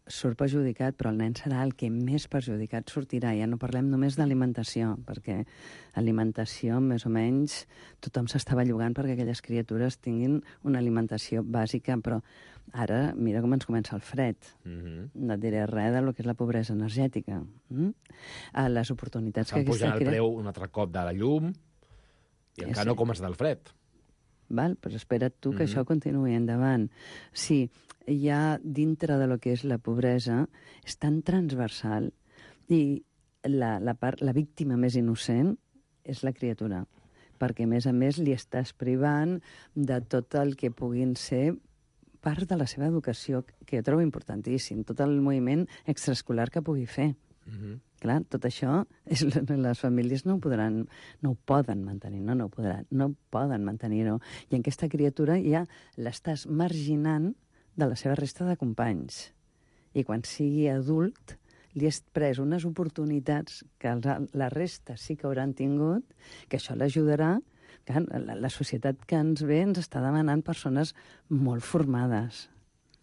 Speaker 12: surt perjudicat, però el nen serà el que més perjudicat sortirà. Ja no parlem només d'alimentació, perquè alimentació, més o menys, tothom s'estava llogant perquè aquelles criatures tinguin una alimentació bàsica, però ara, mira com ens comença el fred. Mm-hmm. No et diré res del que és la pobresa energètica. Mm? A les oportunitats que aquesta
Speaker 10: crea... S'han pujat el preu un altre cop de la llum i encara sí. no comença del fred.
Speaker 12: Val? Però espera't tu que mm-hmm. això continuï endavant. Sí, hi ha dintre de lo que és la pobresa, és tan transversal, i la, la, part, la víctima més innocent és la criatura, perquè a més a més li estàs privant de tot el que puguin ser part de la seva educació, que jo trobo importantíssim, tot el moviment extraescolar que pugui fer. Mm-hmm. Clar, tot això, és, les famílies no ho podran, no ho poden mantenir, no, no ho podran, no poden mantenir-ho. I en aquesta criatura ja l'estàs marginant de la seva resta de companys. I quan sigui adult, li has pres unes oportunitats que la resta sí que hauran tingut, que això l'ajudarà. La, la societat que ens ve ens està demanant persones molt formades.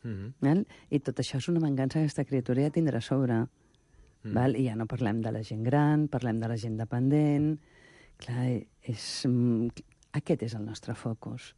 Speaker 12: Mm-hmm. I tot això és una mancança que aquesta criatura ja tindrà a sobre. Mm. Val? I ja no parlem de la gent gran, parlem de la gent dependent. Clar, és, aquest és el nostre focus.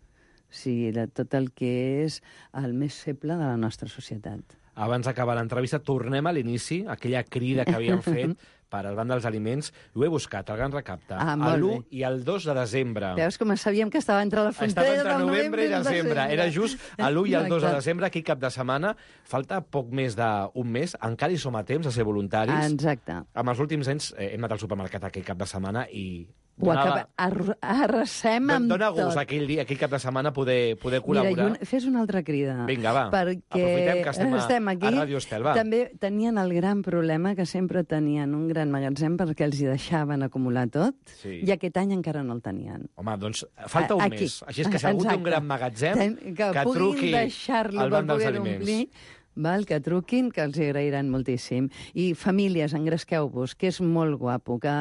Speaker 12: O sigui, de tot el que és el més feble de la nostra societat.
Speaker 10: Abans d'acabar l'entrevista, tornem a l'inici, aquella crida que havíem fet per al Banc dels Aliments. Ho he buscat, el Gran Recapte, ah, a l'u i el dos de desembre.
Speaker 12: Veus com sabíem que estava entre la frontera
Speaker 10: del
Speaker 12: novembre,
Speaker 10: novembre i desembre. Era just a l'u i el dos de desembre, aquí cap de setmana. Falta poc més d'un mes, encara hi som a temps de ser voluntaris.
Speaker 12: Ah, exacte.
Speaker 10: Amb els últims anys eh, hem anat al supermercat aquell cap de setmana i...
Speaker 12: Ho acaba... Arrasem amb
Speaker 10: Dona
Speaker 12: tot.
Speaker 10: Dona gust aquell dia, aquell cap de setmana, poder, poder col·laborar.
Speaker 12: Mira, un, fes una altra crida.
Speaker 10: Vinga, va.
Speaker 12: Perquè
Speaker 10: aprofitem que estem,
Speaker 12: estem
Speaker 10: a,
Speaker 12: aquí.
Speaker 10: a Ràdio Estel, va.
Speaker 12: També tenien el gran problema que sempre tenien un gran magatzem perquè els hi deixaven acumular tot, sí. I aquest any encara no el tenien.
Speaker 10: Home, doncs falta un aquí. mes. Així és que si algú té un gran magatzem, Ten,
Speaker 12: que,
Speaker 10: que truqui al Banc dels Aliments.
Speaker 12: Omplir, val, que truquin, que els agrairan moltíssim. I famílies, engresqueu-vos, que és molt guapo, que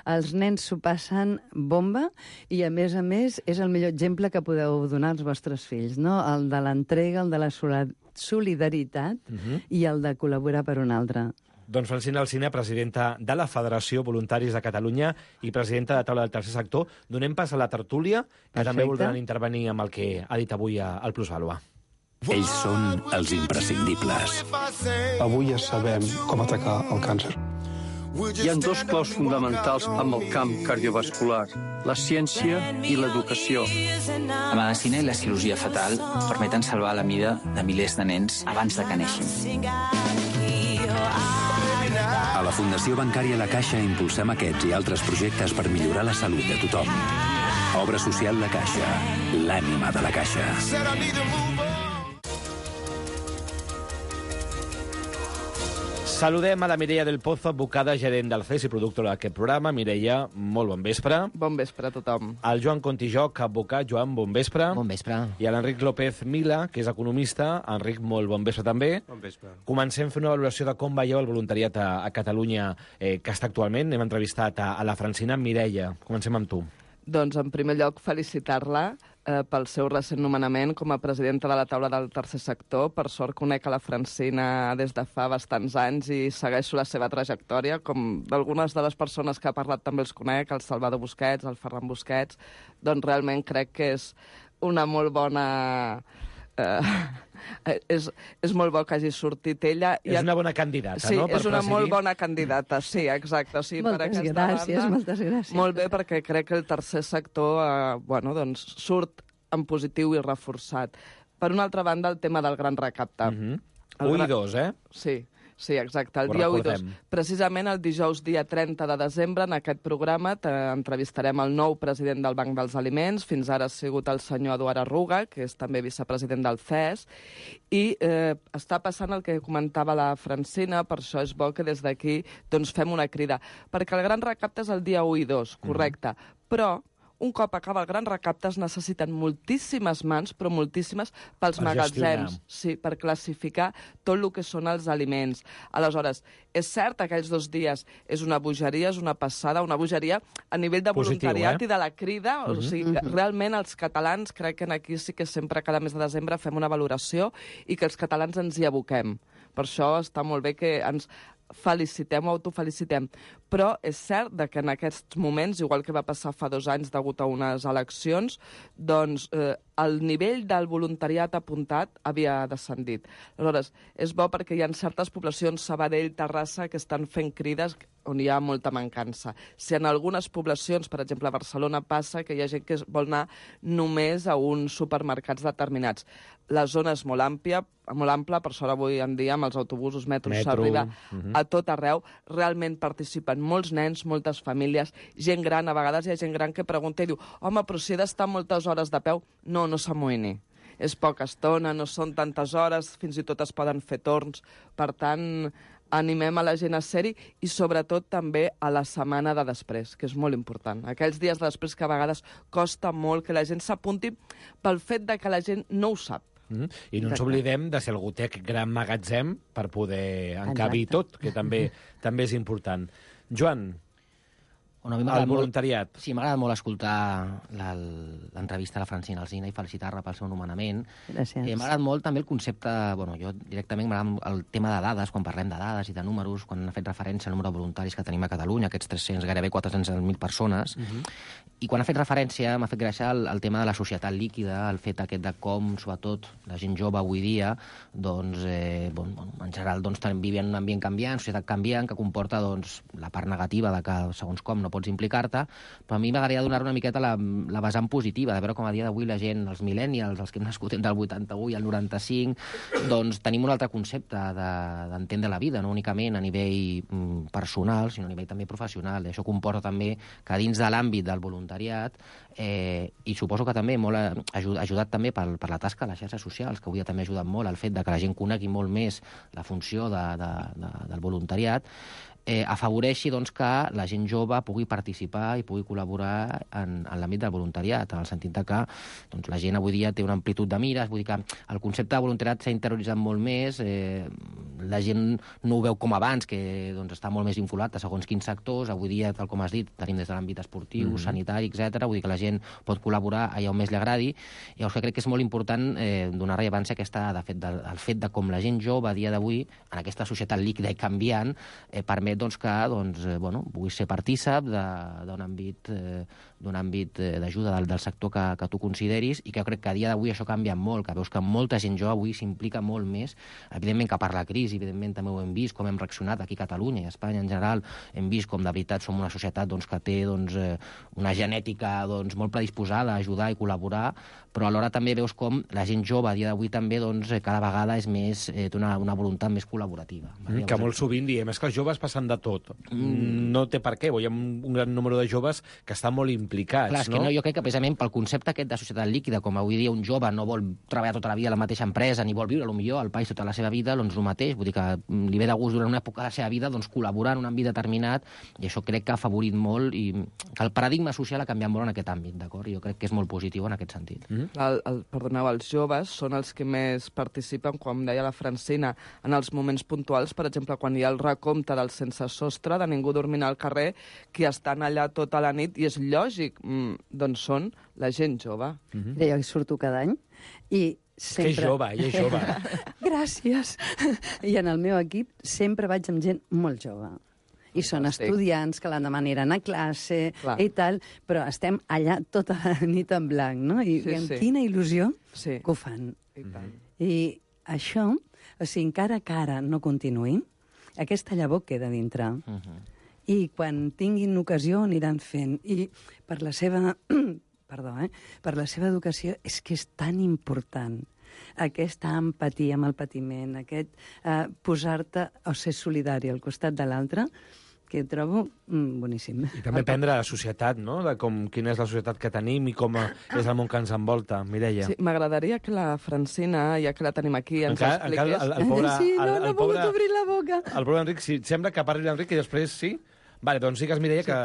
Speaker 12: els nens s'ho passen bomba i, a més a més, és el millor exemple que podeu donar als vostres fills, no? El de l'entrega, el de la solidaritat uh-huh. i el de col·laborar per un altre.
Speaker 10: Doncs Francina Alsina, presidenta de la Federació Voluntaris de Catalunya i presidenta de Taula del Tercer Sector. Donem pas a la tertúlia, que Perfecte. També voldran intervenir amb el que ha dit avui al Plusvàlua.
Speaker 5: Ells són els imprescindibles.
Speaker 6: Avui ja sabem com atacar el càncer.
Speaker 7: Hi ha dos claus fonamentals amb el camp cardiovascular, la ciència i l'educació.
Speaker 8: La medicina i la cirurgia fetal permeten salvar la vida de milers de nens abans de que neixin.
Speaker 5: A la Fundació Bancària La Caixa impulsem aquests i altres projectes per millorar la salut de tothom. Obra social La Caixa, l'ànima de la Caixa.
Speaker 10: Saludem a la Mireia del Pozo, advocada, gerent del C E S i productora d'aquest programa. Mireia, molt bon vespre.
Speaker 13: Bon vespre a tothom.
Speaker 10: El Joan Contijoc, advocat. Joan, bon vespre.
Speaker 14: Bon vespre.
Speaker 10: I l'Enric López Mila, que és economista. Enric, molt bon vespre també.
Speaker 15: Bon vespre.
Speaker 10: Comencem fent una valoració de com veieu el voluntariat a, a Catalunya eh, que està actualment. Hem entrevistat a, a la Francina. Mireia, comencem amb tu.
Speaker 13: Doncs, en primer lloc, felicitar-la eh, pel seu recent nomenament com a presidenta de la taula del tercer sector. Per sort conec a la Francina des de fa bastants anys i segueixo la seva trajectòria, com d'algunes de les persones que ha parlat també els conec, el Salvador Busquets, el Ferran Busquets. Doncs realment crec que és una molt bona... Eh, és, és molt bo que hagi sortit ella.
Speaker 10: És una bona candidata,
Speaker 13: sí,
Speaker 10: no?
Speaker 13: Sí, és una presidir. molt bona candidata, sí, exacte. O sigui,
Speaker 12: moltes
Speaker 13: per
Speaker 12: gràcies,
Speaker 13: banda,
Speaker 12: moltes gràcies.
Speaker 13: Molt bé, perquè crec que el tercer sector eh, bueno, doncs, surt en positiu i reforçat. Per una altra banda, el tema del gran recapte.
Speaker 10: Mm-hmm. Un i dos, eh?
Speaker 13: Sí. Sí, exacte, el
Speaker 10: Ho
Speaker 13: dia u i dos.
Speaker 10: recordem.
Speaker 13: Precisament el dijous dia trenta de desembre, en aquest programa, entrevistarem el nou president del Banc dels Aliments, fins ara ha sigut el senyor Eduard Arruga, que és també vicepresident del C E S, i eh, està passant el que comentava la Francina, per això és bo que des d'aquí doncs, fem una crida. Perquè el gran recapte és el dia u i dos, correcte, mm. però... un cop acaba el gran recapte es necessiten moltíssimes mans, però moltíssimes, pels
Speaker 10: per
Speaker 13: magatzems,
Speaker 10: gestionar.
Speaker 13: sí, per classificar tot el que són els aliments. Aleshores, és cert, aquells dos dies és una bogeria, és una passada, una bogeria a nivell de
Speaker 10: Positiu,
Speaker 13: voluntariat
Speaker 10: eh?
Speaker 13: i de la crida, o
Speaker 10: Mhm.
Speaker 13: sigui, que realment els catalans, crec que aquí sí que sempre cada mes de desembre fem una valoració i que els catalans ens hi aboquem. Per això està molt bé que ens felicitem o autofelicitem. Però és cert que en aquests moments, igual que va passar fa dos anys degut a unes eleccions, doncs eh, el nivell del voluntariat apuntat havia descendit. Aleshores, és bo perquè hi ha certes poblacions, Sabadell, Terrassa, que estan fent crides on hi ha molta mancança. Si en algunes poblacions, per exemple a Barcelona, passa que hi ha gent que vol anar només a uns supermercats determinats. La zona és molt àmplia, molt ampla, per això avui en dia amb els autobusos, metros,
Speaker 10: Metro,
Speaker 13: s'arriba
Speaker 10: uh-huh.
Speaker 13: a tot arreu. Realment participen molts nens, moltes famílies, gent gran, a vegades hi ha gent gran que pregunta i diu home, però si he d'estar moltes hores de peu. No, no s'amoïni. És poca estona, no són tantes hores, fins i tot es poden fer torns. Per tant, animem a la gent a ser-hi i sobretot també a la setmana de després, que és molt important. Aquells dies de després que a vegades costa molt que la gent s'apunti pel fet de que la gent no ho sap.
Speaker 10: Mm. I no ens oblidem de si algú té aquest gran magatzem per poder encabir tot, que també també és important. Joan,
Speaker 14: bueno, el
Speaker 10: el voluntariat.
Speaker 14: Molt, sí, m'ha agradat molt escoltar l'entrevista a la Francina Alsina i felicitar-la pel seu nomenament.
Speaker 12: Gràcies.
Speaker 14: Eh, m'ha agradat molt també el concepte, bueno, jo directament m'agrada el tema de dades, quan parlem de dades i de números, quan ha fet referència al número de voluntaris que tenim a Catalunya, aquests tres-cents, gairebé quatre-cents mil persones, uh-huh. i quan ha fet referència m'ha fet gràcia el, el tema de la societat líquida, el fet aquest de com, sobretot, la gent jove avui dia, doncs, eh, bon, bon, en general, doncs, vivien en un ambient canviant, societat canviant, que comporta, doncs, la part negativa de que, segons com, no pots implicar-te, però a mi m'agradaria donar una miqueta la, la vessant positiva, de veure com a dia d'avui la gent, els millennials, els que hem nascut entre el vuitanta-u i el noranta-cinc, doncs tenim un altre concepte d'entendre de, la vida, no únicament a nivell mm, personal, sinó a nivell també professional. I això comporta també que dins de l'àmbit del voluntariat, eh, i suposo que també molt ajud, ajudat també per, per la tasca de les xarxes socials, que avui ha també ajudat molt al fet de que la gent conegui molt més la funció de, de, de, del voluntariat, eh, afavoreixi doncs, que la gent jove pugui participar i pugui col·laborar en, en l'àmbit del voluntariat, en el sentit de que doncs, la gent avui dia té una amplitud de mires, vull dir que el concepte de voluntariat s'ha interioritzat molt més, eh, la gent no ho veu com abans, que doncs, està molt més vinculat a segons quins sectors, avui dia, tal com has dit, tenim des de l'àmbit esportiu, mm-hmm. sanitari, etcètera, vull dir que la gent pot col·laborar allà on més li agradi, i llavors crec que és molt important eh, donar rellevància a aquesta, de fet, del, el fet de com la gent jove a dia d'avui, en aquesta societat líquida i canviant, eh, permet doncs, que doncs, eh, bueno, puguis ser partícip d'un àmbit, eh, d'un àmbit eh, d'ajuda del, del sector que, que tu consideris, i que jo crec que a dia d'avui això canvia molt, que veus que molta gent jove avui s'implica molt més, evidentment que per la crisi, evidentment també ho hem vist, com hem reaccionat aquí a Catalunya i a Espanya en general, hem vist com de veritat som una societat doncs, que té doncs, eh, una genètica doncs, molt predisposada a ajudar i col·laborar, però alhora també veus com la gent jove a dia d'avui també doncs, cada vegada és més, eh, té una, una voluntat més col·laborativa.
Speaker 10: Mm, que molt sovint diem, és que els joves passen fan de tot. Mm. No té per què, hi ha un, un gran número de joves que estan molt implicats,
Speaker 14: Clar, és
Speaker 10: no?
Speaker 14: que no, jo crec que precisament pel concepte aquest de societat líquida, com avui dia un jove no vol treballar tota la vida a la mateixa empresa, ni vol viure potser al país tota la seva vida, doncs el mateix, vull dir que li ve de gust durant una època de la seva vida doncs, col·laborar en un àmbit determinat, i això crec que ha afavorit molt, i que el paradigma social ha canviat molt en aquest àmbit, d'acord? Jo crec que és molt positiu en aquest sentit.
Speaker 13: Mm -hmm. el, el, perdoneu, els joves són els que més participen, com deia la Francina, en els moments puntuals, per exemple, quan hi ha el recompte del sense sostre, de ningú dormint al carrer, que estan allà tota la nit, i és lògic, mm, doncs són la gent jove.
Speaker 12: Mm-hmm. Jo hi surto cada any, i sempre...
Speaker 10: Que és jove, ella és jove.
Speaker 12: Gràcies. I en el meu equip sempre vaig amb gent molt jove. I són estudiants que l'endemà aniran a classe Clar. i tal, però estem allà tota la nit en blanc, no? I,
Speaker 13: sí,
Speaker 12: i amb
Speaker 13: sí.
Speaker 12: quina il·lusió
Speaker 13: sí.
Speaker 12: que ho fan.
Speaker 13: I, tant.
Speaker 12: I això, o sigui, encara que ara no continuï, aquesta llavor queda dintre. Uh -huh. I quan tinguin ocasió aniran fent. I per la seva... perdó, eh? Per la seva educació és que és tan important aquesta empatia amb el patiment, aquest eh, posar-te o ser solidari al costat de l'altre, que ho trobo mm, boníssim.
Speaker 10: I també aprendre de societat, no?, de com, quina és la societat que tenim i com és el món que ens envolta. Mireia.
Speaker 13: Sí, m'agradaria que la Francina, ja que la tenim aquí, ens
Speaker 10: encara,
Speaker 13: expliqués...
Speaker 10: Encara el, el pobre,
Speaker 12: sí, no,
Speaker 10: el,
Speaker 12: no
Speaker 10: el
Speaker 12: he pogut
Speaker 10: pobre,
Speaker 12: obrir la boca.
Speaker 10: El pobre Enric, si sembla que parli l'Enric i després sí? Vale, doncs digues, Mireia, que...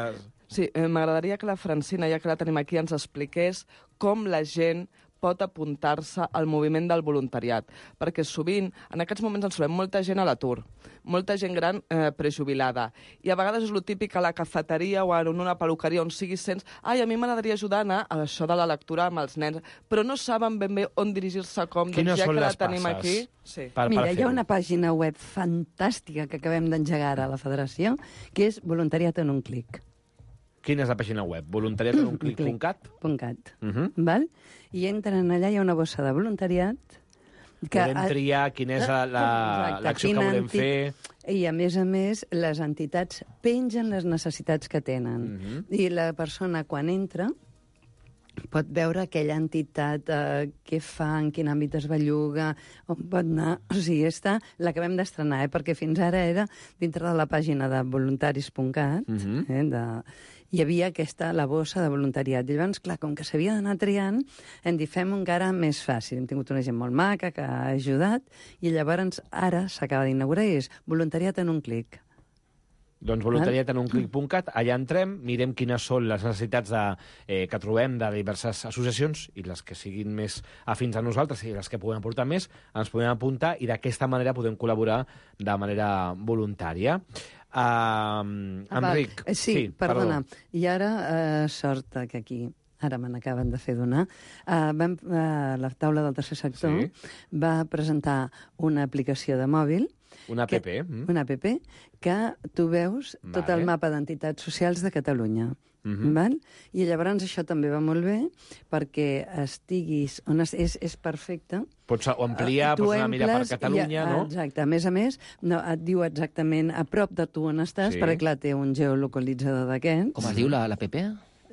Speaker 13: Sí, eh, m'agradaria que la Francina, ja que la tenim aquí, ens expliqués com la gent pot apuntar-se al moviment del voluntariat. Perquè sovint, en aquests moments, ens trobem molta gent a l'atur, molta gent gran eh, prejubilada. I a vegades és el típic a la cafeteria o en una peluqueria on siguis sents ai, a mi m'agradaria ajudar a anar a això de la lectura amb els nens, però no saben ben bé on dirigir-se com.
Speaker 10: Quines
Speaker 13: doncs ja
Speaker 10: són
Speaker 13: que la
Speaker 10: les
Speaker 13: tenim
Speaker 10: passes?
Speaker 13: aquí... Sí.
Speaker 10: Per,
Speaker 12: Mira,
Speaker 10: per
Speaker 12: hi ha una pàgina web fantàstica que acabem d'engegar ara a la Federació, que és Voluntariat en un clic.
Speaker 10: Quina és la pàgina web? voluntariat en un clic punt cat?
Speaker 12: .cat.
Speaker 10: Uh -huh.
Speaker 12: Val? I entren allà, hi ha una bossa de voluntariat.
Speaker 10: Que podem triar quina és l'acció la, que volem
Speaker 12: enti...
Speaker 10: fer.
Speaker 12: I, a més a més, les entitats pengen les necessitats que tenen.
Speaker 10: Uh -huh.
Speaker 12: I la persona, quan entra, pot veure aquella entitat, eh, què fa, en quin àmbit es belluga, on pot anar... O sigui, està... L'acabem d'estrenar, eh? Perquè fins ara era dintre de la pàgina de voluntaris punt cat, uh -huh. eh? de... hi havia aquesta, la bossa de voluntariat. I llavors, clar, com que s'havia d'anar triant, hem dit, fem encara més fàcil. Hem tingut una gent molt maca que ha ajudat, i llavors ara s'acaba d'inaugurar i és voluntariat en un clic.
Speaker 10: Doncs voluntariat en un clic punt cat, allà entrem, mirem quines són les necessitats de, eh, que trobem de diverses associacions, i les que siguin més afins a nosaltres i les que puguem aportar més, ens podem apuntar i d'aquesta manera podem col·laborar de manera voluntària. Uh, Enric.
Speaker 12: Ah, sí, sí, perdona. Perdó. I ara, uh, sort que aquí, ara me n'acaben de fer donar, uh, vam, uh, la taula del tercer sector sí. va presentar una aplicació de mòbil.
Speaker 10: Una app. Que,
Speaker 12: mm. Una app que tu veus vale. tot el mapa d'entitats socials de Catalunya. Mm-hmm. Val? I llavors això també va molt bé perquè estiguis on es, és, és perfecte.
Speaker 10: Pots ampliar, uh, pots anar a mirar per Catalunya,
Speaker 12: ha,
Speaker 10: no?
Speaker 12: Exacte. A més a més, no, et diu exactament a prop de tu on estàs, sí. perquè clar, té un geolocalitzador d'aquests.
Speaker 14: Com es diu l'app?
Speaker 12: La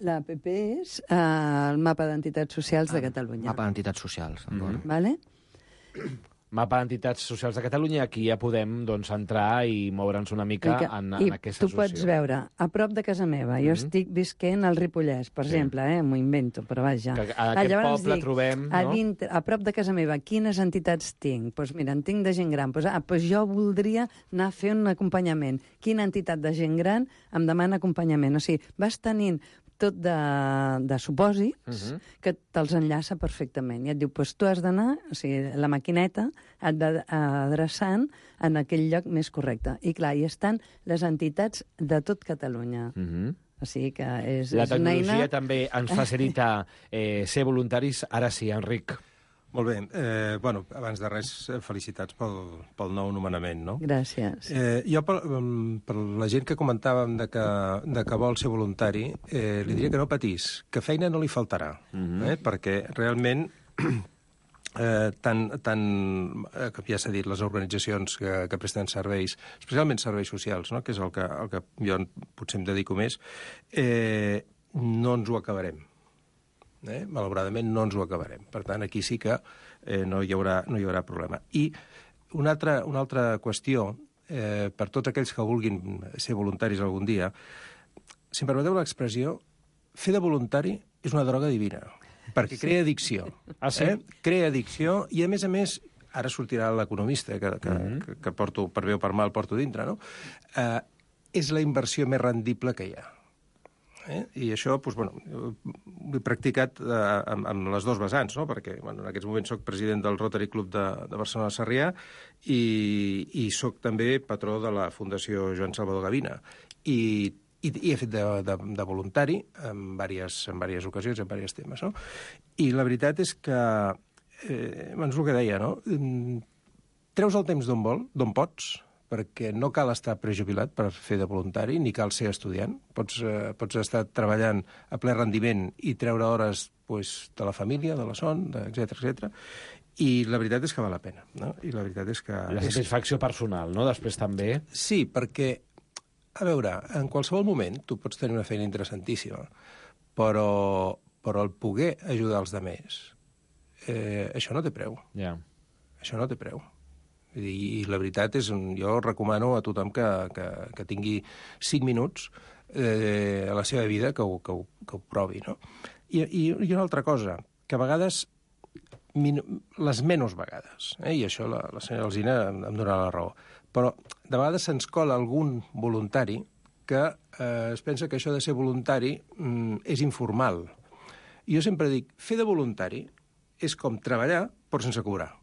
Speaker 12: L'app és uh, el mapa d'entitats socials ah, de Catalunya.
Speaker 14: Mapa d'entitats socials, d'acord.
Speaker 12: Mm-hmm. Vale?
Speaker 10: Mapa d'entitats socials de Catalunya, aquí ja podem doncs, entrar i moure'ns una mica que, en, en aquesta associació. I tu
Speaker 12: pots veure, a prop de casa meva, jo mm-hmm. estic visquent al Ripollès, per sí. exemple, eh, m'ho invento, però vaja.
Speaker 10: Que a aquest Llavors poble dic, trobem...
Speaker 12: A,
Speaker 10: no?
Speaker 12: dintre, a prop de casa meva, quines entitats tinc? Doncs pues mira, en tinc de gent gran. Pues, ah, pues jo voldria anar a fer un acompanyament. Quina entitat de gent gran em demana acompanyament? O sigui, vas tenint tot de, de supòsits uh-huh. que te'ls enllaça perfectament. I et diu, doncs tu has d'anar, o sigui, la maquineta et va adreçant en aquell lloc més correcte. I clar, hi estan les entitats de tot Catalunya. Uh-huh. O sigui que és,
Speaker 10: la
Speaker 12: és una eina...
Speaker 10: tecnologia també ens facilita eh, ser voluntaris. Ara sí, Enric.
Speaker 15: Molt bé. Eh, bueno, abans de res, felicitats pel, pel nou nomenament, no?
Speaker 12: Gràcies.
Speaker 15: Eh, jo, per, per la gent que comentàvem de que, de que vol ser voluntari, eh, li diria que no patís, que feina no li faltarà, mm-hmm. eh, perquè realment... Eh, tant, tant eh, ja s'ha dit, les organitzacions que, que presten serveis, especialment serveis socials, no? que és el que, el que jo potser em dedico més, eh, no ens ho acabarem. Eh? Malauradament no ens ho acabarem. Per tant, aquí sí que eh, no, hi haurà, no hi haurà problema. I una altra, una altra qüestió eh, per tots aquells que vulguin ser voluntaris algun dia, si em permeteu l'expressió, fer de voluntari és una droga divina, perquè crea addicció.
Speaker 10: Ah, sí?
Speaker 15: Eh? Crea addicció i, a més a més, ara sortirà l'economista, que, que, mm-hmm. que, que porto, per bé o per mal porto dintre, no? Eh, és la inversió més rendible que hi ha. Eh? I això, doncs, bueno, ho he practicat eh, amb, amb les dos vessants, no? Perquè bueno, en aquests moments soc president del Rotary Club de, de Barcelona-Sarrià i, i soc també patró de la Fundació Joan Salvador Gavina. I, i, i he fet de, de, de voluntari en diverses, en diverses ocasions, en diversos temes. No? I la veritat és que, eh, és el que deia, no? Treus el temps d'on vol, d'on pots, perquè no cal estar prejubilat per fer de voluntari, ni cal ser estudiant. Pots, eh, pots estar treballant a ple rendiment i treure hores pues, de la família, de la son, etcètera, etcètera. I la veritat és que val la pena. No? I la veritat és que...
Speaker 10: La satisfacció personal, no?, després també.
Speaker 15: Sí, perquè, a veure, en qualsevol moment tu pots tenir una feina interessantíssima, però, però el poder ajudar els altres, eh, això no té preu.
Speaker 10: Ja.
Speaker 15: Això no té preu. I la veritat és, jo recomano a tothom que, que, que tingui cinc minuts eh, a la seva vida que ho, que ho, que ho provi, no? I, i, i una altra cosa, que a vegades, min, les menys vegades, eh, i això la, la senyora Alsina em, em donarà la raó, però de vegades se'ns cola algun voluntari que eh, es pensa que això de ser voluntari mm, és informal. I jo sempre dic, fer de voluntari és com treballar però sense cobrar.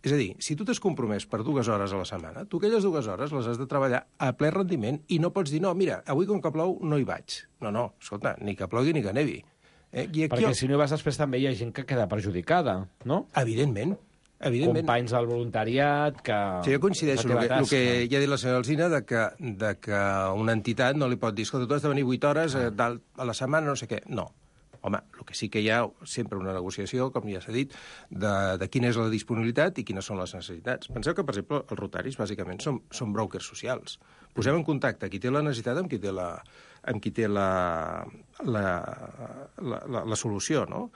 Speaker 15: És a dir, si tu t'has compromès per dues hores a la setmana, tu aquelles dues hores les has de treballar a ple rendiment i no pots dir, no, mira, avui com que plou no hi vaig. No, no, escolta, ni que plogui ni que nevi. Eh? I aquí
Speaker 10: Perquè
Speaker 15: jo...
Speaker 10: si no hi vas després també hi ha gent que queda perjudicada, no?
Speaker 15: Evidentment. Evidentment.
Speaker 10: Companys del voluntariat que...
Speaker 15: Sí, jo coincideixo amb el, el que ja ha dit la senyora Alsina, de que, de que una entitat no li pot dir, escolta, tu has de venir vuit hores eh, a la setmana, no sé què. No. Home, el que sí que hi ha sempre una negociació, com ja s'ha dit, de, de quina és la disponibilitat i quines són les necessitats. Penseu que, per exemple, els rotaris, bàsicament, són, són brokers socials. Posem en contacte qui té la necessitat amb qui té la, amb qui té la, la, la, la, la solució, no?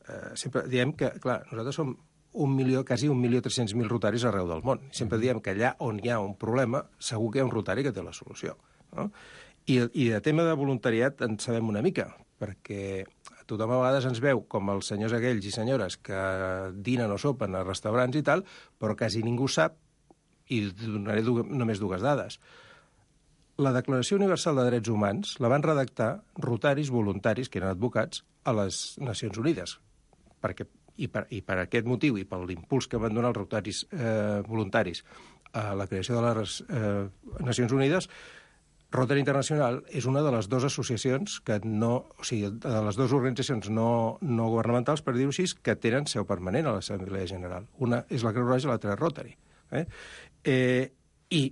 Speaker 15: Eh, sempre diem que, clar, nosaltres som un milió, quasi un milió tres-cents mil rotaris arreu del món. Sempre diem que allà on hi ha un problema, segur que hi ha un rotari que té la solució. No? I, I de tema de voluntariat en sabem una mica, perquè tothom a vegades ens veu com els senyors aquells i senyores que dinen o sopen a restaurants i tal, però quasi ningú sap, i donaré du només dues dades. La Declaració Universal de Drets Humans la van redactar rotaris voluntaris, que eren advocats, a les Nacions Unides. Perquè, i, per, I per aquest motiu, i per l'impuls que van donar els rotaris eh, voluntaris a la creació de les eh, Nacions Unides, Rotary Internacional és una de les dues associacions que no, o sigui, de les dues organitzacions no, no governamentals, per dir-ho així, que tenen seu permanent a l'Assemblea General. Una és la Creu Roja i l'altra és Rotary. Eh? Eh, I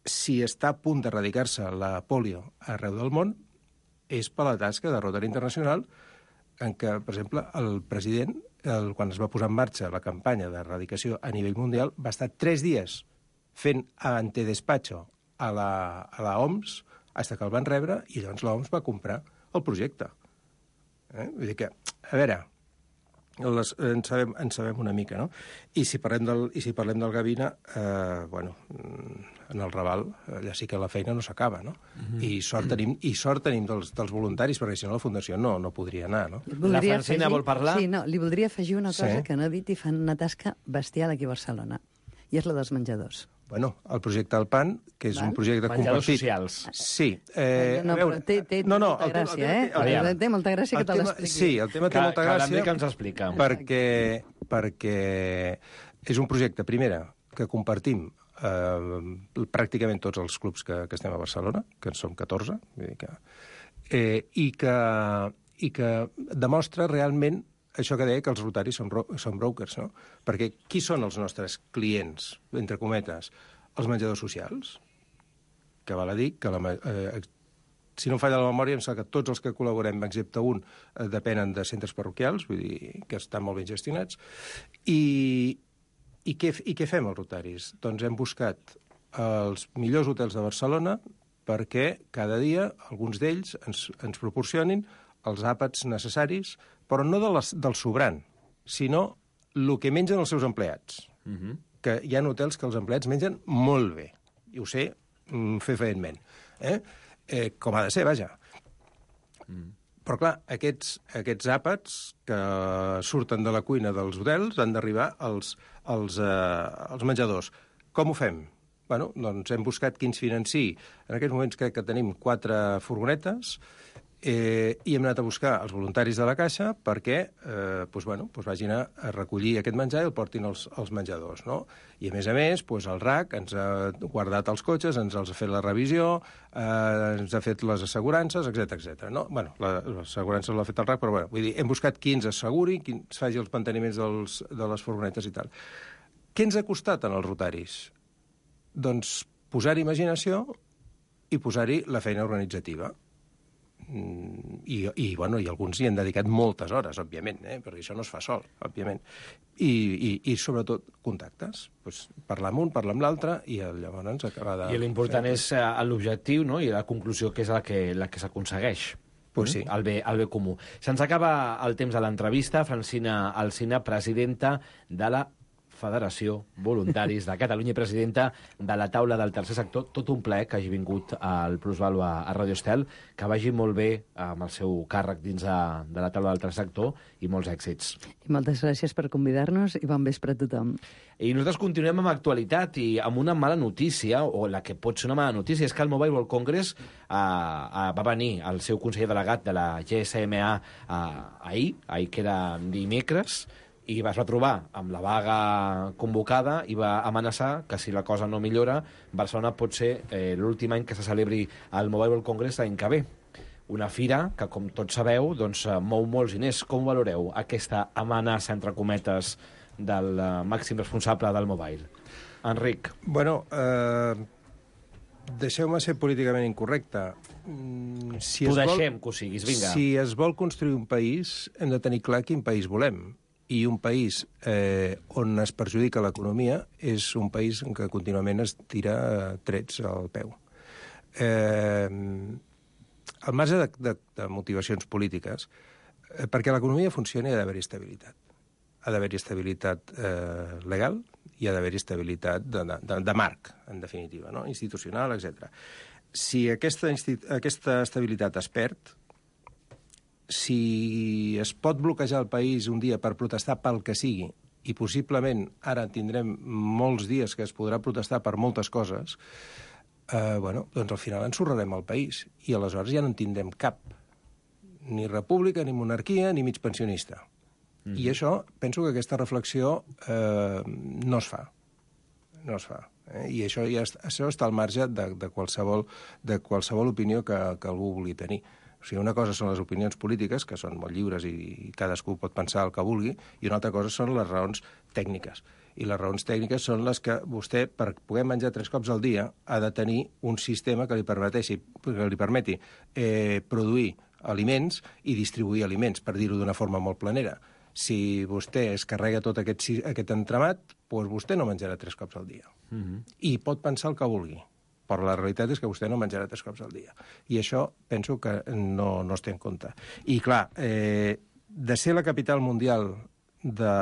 Speaker 15: si està a punt d'erradicar-se la pòlio arreu del món, és per la tasca de Rotary Internacional, en què, per exemple, el president, el, quan es va posar en marxa la campanya d'erradicació a nivell mundial, va estar tres dies fent antedespacho a la, a la O M S, fins que el van rebre, i llavors l'O M S va comprar el projecte. Eh? Vull dir que, a veure, les, en, sabem, en sabem una mica, no? I si parlem del, i si parlem del Gavina, eh, bueno, en el Raval, allà sí que la feina no s'acaba, no? Mm-hmm. I sort tenim, i sort tenim dels, dels voluntaris, perquè si no la Fundació no, no podria anar, no?
Speaker 10: La Francina vol parlar?
Speaker 12: Sí, no, li voldria afegir una cosa
Speaker 15: sí.
Speaker 12: que no he dit i fan una tasca bestial aquí a Barcelona, i és la dels menjadors.
Speaker 15: Bueno, el projecte del Pan, que és
Speaker 12: Val?
Speaker 15: un projecte
Speaker 10: Menjadors
Speaker 15: compartit...
Speaker 10: socials.
Speaker 15: Sí. Eh,
Speaker 12: no,
Speaker 15: veure,
Speaker 12: però té, té
Speaker 15: no, no,
Speaker 12: molta
Speaker 15: el,
Speaker 12: gràcia,
Speaker 15: el,
Speaker 12: eh? El, el, té molta gràcia que te l'expliqui.
Speaker 15: Sí, el tema té
Speaker 10: que,
Speaker 15: molta gràcia...
Speaker 10: Que, que ens explica.
Speaker 15: Perquè, perquè és un projecte, primera, que compartim eh, pràcticament tots els clubs que, que estem a Barcelona, que en som catorze, vull dir que, eh, i, que, i que demostra realment això que deia que els rotaris són, són brokers, no? Perquè qui són els nostres clients, entre cometes? Els menjadors socials, que val a dir que, la, eh, si no em falla la memòria, em sembla que tots els que col·laborem, excepte un, eh, depenen de centres parroquials, vull dir que estan molt ben gestionats. I, i, què, i què fem, els rotaris? Doncs hem buscat els millors hotels de Barcelona perquè cada dia alguns d'ells ens, ens proporcionin els àpats necessaris, però no de les, del sobrant, sinó el que mengen els seus empleats.
Speaker 10: Mm-hmm.
Speaker 15: Que hi ha hotels que els empleats mengen molt bé, i ho sé mm, fer feintment. Eh? Eh, com ha de ser, vaja. Mm. Però, clar, aquests, aquests àpats que surten de la cuina dels hotels han d'arribar als, als, eh, als menjadors. Com ho fem? Bueno, doncs hem buscat qui ens financi. En aquests moments crec que tenim quatre furgonetes eh, i hem anat a buscar els voluntaris de la Caixa perquè eh, doncs, bueno, doncs vagin a, a recollir aquest menjar i el portin als, als menjadors. No? I, a més a més, doncs el R A C ens ha guardat els cotxes, ens els ha fet la revisió, eh, ens ha fet les assegurances, etcètera etcètera. No? Bueno, l'assegurança l'ha fet el R A C, però bueno, vull dir, hem buscat qui ens asseguri, qui ens faci els manteniments dels, de les furgonetes i tal. Què ens ha costat en els rotaris? Doncs posar-hi imaginació i posar-hi la feina organitzativa. I, i, bueno, i alguns hi han dedicat moltes hores, òbviament, eh? Perquè això no es fa sol, òbviament. I, i, i sobretot, contactes. Pues, parlar amb un, parlar amb l'altre, i llavors acaba de...
Speaker 10: I l'important és uh, l'objectiu, no?, i la conclusió, que és la que, la que s'aconsegueix.
Speaker 15: Pues sí.
Speaker 10: El bé, el bé comú. Se'ns acaba el temps de l'entrevista. Francina Alsina, presidenta de la Federació Voluntaris de Catalunya i presidenta de la taula del tercer sector. Tot un plaer que hagi vingut al Plusvalua a Radio Estel, que vagi molt bé amb el seu càrrec dins de, de la taula del tercer sector i molts èxits.
Speaker 12: I moltes gràcies per convidar-nos i bon vespre a tothom.
Speaker 10: I nosaltres continuem amb actualitat i amb una mala notícia, o la que pot ser una mala notícia, és que el Mobile World Congress eh, eh, va venir el seu conseller delegat de la G S M A eh, ahir, ahir que era dimecres, i es va trobar amb la vaga convocada i va amenaçar que si la cosa no millora, Barcelona pot ser eh, l'últim any que se celebri el Mobile World Congress l'any que ve. Una fira que, com tots sabeu, doncs, mou molts diners. Com valoreu aquesta amenaça, entre cometes, del uh, màxim responsable del Mobile? Enric.
Speaker 15: Bueno, eh, deixeu-me ser políticament incorrecte. Mm, si
Speaker 10: T'ho
Speaker 15: vol,
Speaker 10: deixem que ho siguis, vinga.
Speaker 15: Si es vol construir un país, hem de tenir clar quin país volem. I un país eh, on es perjudica l'economia és un país en què contínuament es tira trets al peu. Eh, al marge de, de, de motivacions polítiques, eh, perquè l'economia funcioni ha d'haver-hi estabilitat. Ha d'haver-hi estabilitat eh, legal i ha d'haver-hi estabilitat de, de, de marc, en definitiva, no? Institucional, etcètera. Si aquesta, aquesta estabilitat es perd, si es pot bloquejar el país un dia per protestar pel que sigui, i possiblement ara tindrem molts dies que es podrà protestar per moltes coses, eh, bueno, doncs al final ensorrarem el país, i aleshores ja no en tindrem cap. Ni república, ni monarquia, ni mig pensionista. Mm. I això, penso que aquesta reflexió eh, no es fa. No es fa. Eh? I això, ja està, això està al marge de, de, qualsevol, de qualsevol opinió que, que algú vulgui tenir. O sigui, una cosa són les opinions polítiques, que són molt lliures i cadascú pot pensar el que vulgui, i una altra cosa són les raons tècniques. I les raons tècniques són les que vostè, per poder menjar tres cops al dia, ha de tenir un sistema que li permeti, que li permeti eh, produir aliments i distribuir aliments, per dir-ho d'una forma molt planera. Si vostè es carrega tot aquest, aquest entramat, doncs vostè no menjarà tres cops al dia. Mm-hmm. I pot pensar el que vulgui. Però la realitat és que vostè no menjarà tres cops al dia. I això penso que no, no es té en compte. I, clar, eh, de ser la capital mundial de,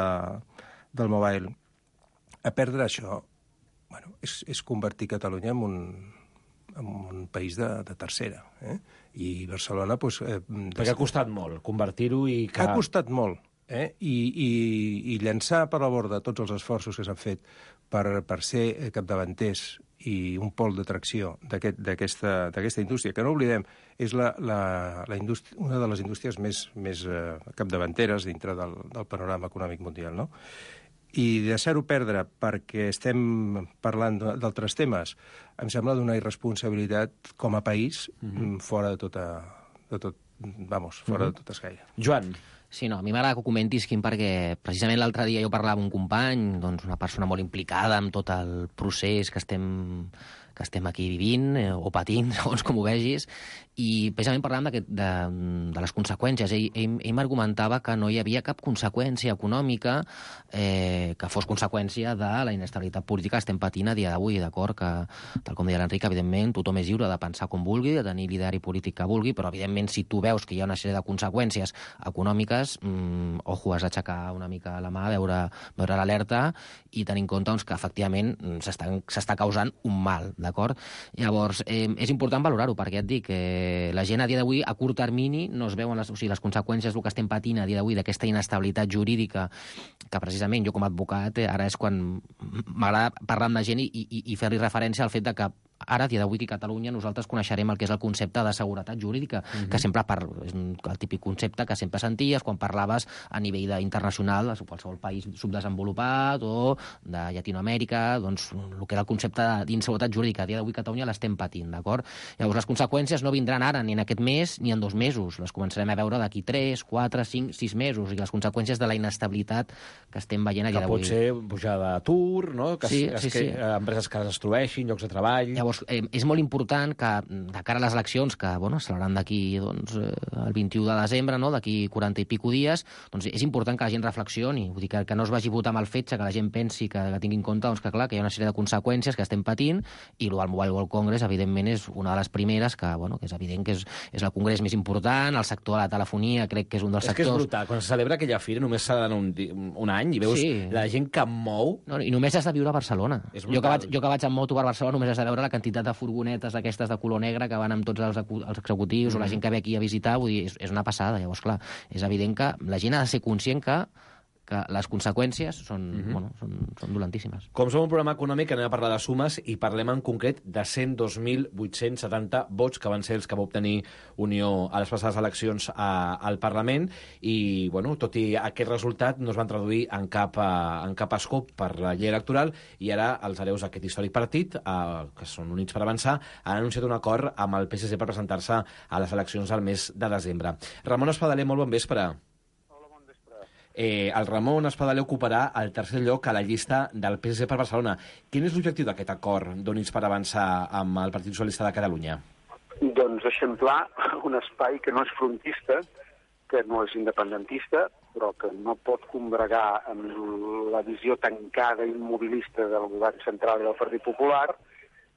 Speaker 15: del mobile, a perdre això, bueno, és, és convertir Catalunya en un, en un país de, de tercera. Eh? I Barcelona... Doncs, eh,
Speaker 10: Perquè ha costat molt convertir-ho i... Que...
Speaker 15: Ha costat molt. Eh? I, i, I llançar per la borda tots els esforços que s'han fet per, per ser capdavanters i un pol d'atracció d'aquesta aquest, indústria, que no oblidem, és la, la, la una de les indústries més, més eh, capdavanteres dintre del, del panorama econòmic mundial, no? I deixar-ho perdre perquè estem parlant d'altres temes, em sembla d'una irresponsabilitat com a país mm-hmm. fora de tota, de tot, vamos, fora mm-hmm. de tot escaire.
Speaker 10: Joan.
Speaker 14: Sí, no, a mi m'agrada que ho comentis, Quim, perquè precisament l'altre dia jo parlava amb un company, doncs una persona molt implicada amb tot el procés que estem, que estem aquí vivint, eh, o patint, segons com ho vegis, i precisament parlàvem de, de, de les conseqüències. Ell, ell, ell m'argumentava que no hi havia cap conseqüència econòmica eh, que fos conseqüència de la inestabilitat política que estem patint a dia d'avui, d'acord? Que, tal com deia l'Enric, evidentment, tothom és lliure de pensar com vulgui, de tenir l'ideari polític que vulgui, però, evidentment, si tu veus que hi ha una sèrie de conseqüències econòmiques, mmm, ojo, has d'aixecar una mica la mà, veure, veure l'alerta i tenir en compte doncs, que, efectivament, s'està causant un mal d'acord? Llavors, eh, és important valorar-ho, perquè et dic, eh, la gent a dia d'avui, a curt termini, no es veuen les, o sigui, les conseqüències del que estem patint a dia d'avui, d'aquesta inestabilitat jurídica, que precisament jo com a advocat, eh, ara és quan m'agrada parlar amb la gent i, i, i fer-li referència al fet de que ara, a dia d'avui, aquí a Catalunya, nosaltres coneixerem el que és el concepte de seguretat jurídica, mm-hmm. que sempre par... és el típic concepte que sempre senties quan parlaves a nivell internacional, a qualsevol país subdesenvolupat o de Llatinoamèrica, doncs el que era el concepte d'inseguretat jurídica. A dia d'avui a Catalunya l'estem patint, d'acord? Llavors, les conseqüències no vindran ara, ni en aquest mes, ni en dos mesos. Les començarem a veure d'aquí tres, quatre, cinc, sis mesos, i les conseqüències de la inestabilitat que estem veient a dia d'avui.
Speaker 10: Que pot ser pujada d'atur, no? Que,
Speaker 14: sí,
Speaker 10: es,
Speaker 14: sí,
Speaker 10: que
Speaker 14: sí.
Speaker 10: empreses que es destrueixin, llocs de treball...
Speaker 14: Llavors, eh, és molt important que, de cara a les eleccions, que bueno, aceleran d'aquí doncs, el vint-i-u de desembre, no? D'aquí quaranta i pico dies, doncs és important que la gent reflexioni, vull dir, que, que no es vagi a votar amb el fetge, que la gent pensi, que, que tingui en compte doncs, que, clar, que hi ha una sèrie de conseqüències que estem patint, i el Mobile World Congress, evidentment, és una de les primeres, que, bueno, que és evident que és, és el congrés més important, el sector de la telefonia crec que és un dels
Speaker 10: és
Speaker 14: sectors...
Speaker 10: És que és brutal, quan se celebra aquella fira només s'ha d'anar un, un any i veus sí. la gent que mou...
Speaker 14: No, i només has de viure a Barcelona. Jo que, vaig, jo que vaig amb moto per Barcelona només has de veure la quantitat de furgonetes aquestes de color negre que van amb tots els, els executius mm. o la gent que ve aquí a visitar, vull dir, és, és una passada. Llavors, clar, és evident que la gent ha de ser conscient que que les conseqüències són, mm-hmm. bueno, són, són dolentíssimes.
Speaker 10: Com som un programa econòmic, anem a parlar de sumes i parlem en concret de cent dos mil vuit-cents setanta vots que van ser els que va obtenir Unió a les passades eleccions a, al Parlament i, bueno, tot i aquest resultat no es van traduir en cap, en cap escop per la llei electoral i ara els hereus d'aquest històric partit, eh, que són Units per Avançar, han anunciat un acord amb el P S C per presentar-se a les eleccions al mes de desembre. Ramon Espadaler, molt bon vespre. Eh, el Ramon Espadaler ocuparà el tercer lloc a la llista del P S C per Barcelona. Quin és l'objectiu d'aquest acord d'Units per Avançar amb el Partit Socialista de Catalunya?
Speaker 6: Doncs eixamplar un espai que no és frontista, que no és independentista, però que no pot combregar amb la visió tancada i immobilista del govern central i del Partit Popular,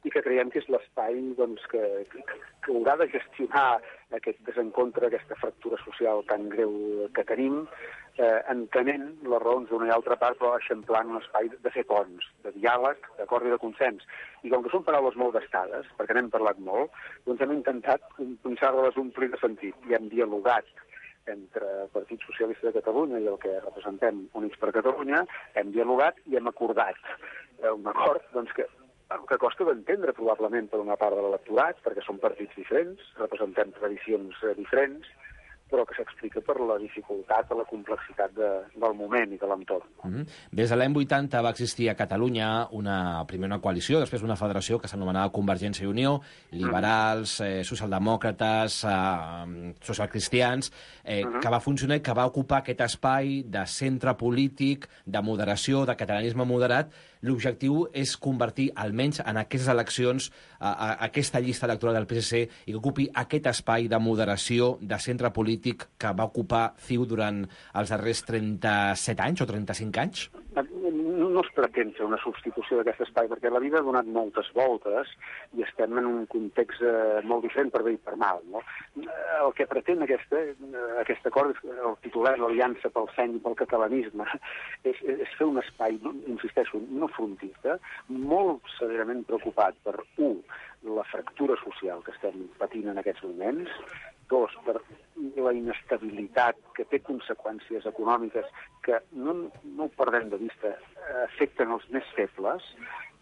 Speaker 6: i que creiem que és l'espai doncs, que, que, que haurà de gestionar aquest desencontre, aquesta fractura social tan greu que tenim, eh, entenent les raons d'una i altra part, però eixamplant un espai de fer ponts, de diàleg, d'acord i de consens. I com que són paraules molt gastades, perquè n'hem parlat molt, doncs hem intentat pensar-les omplir de sentit i hem dialogat entre el Partit Socialista de Catalunya i el que representem Units per Catalunya, hem dialogat i hem acordat un acord doncs, que que costa d'entendre probablement per una part de l'electorat, perquè són partits diferents, representem tradicions diferents, però que s'explica per la dificultat o la complexitat de, del moment i de l'entorn.
Speaker 10: Mm-hmm. Des de l'any vuitanta va existir a Catalunya una, primer una coalició, després una federació que s'anomenava Convergència i Unió, liberals, eh, socialdemòcrates, eh, socialcristians, eh, mm-hmm. que va funcionar i que va ocupar aquest espai de centre polític, de moderació, de catalanisme moderat. L'objectiu és convertir, almenys en aquestes eleccions, a, a, aquesta llista electoral del P S C i que ocupi aquest espai de moderació, de centre polític que va ocupar C I U durant els darrers trenta-set anys o trenta-cinc anys?
Speaker 6: No es pretén fer una substitució d'aquest espai, perquè la vida ha donat moltes voltes i estem en un context eh, molt diferent per bé i per mal. No? El que pretén aquesta, aquest acord, el titular, l'Aliança pel Seny i pel Catalanisme, és, és fer un espai, insisteixo, no frontista, molt severament preocupat per, un, la fractura social que estem patint en aquests moments, dos, per la inestabilitat que té conseqüències econòmiques que, no, no ho perdem de vista, afecten els més febles,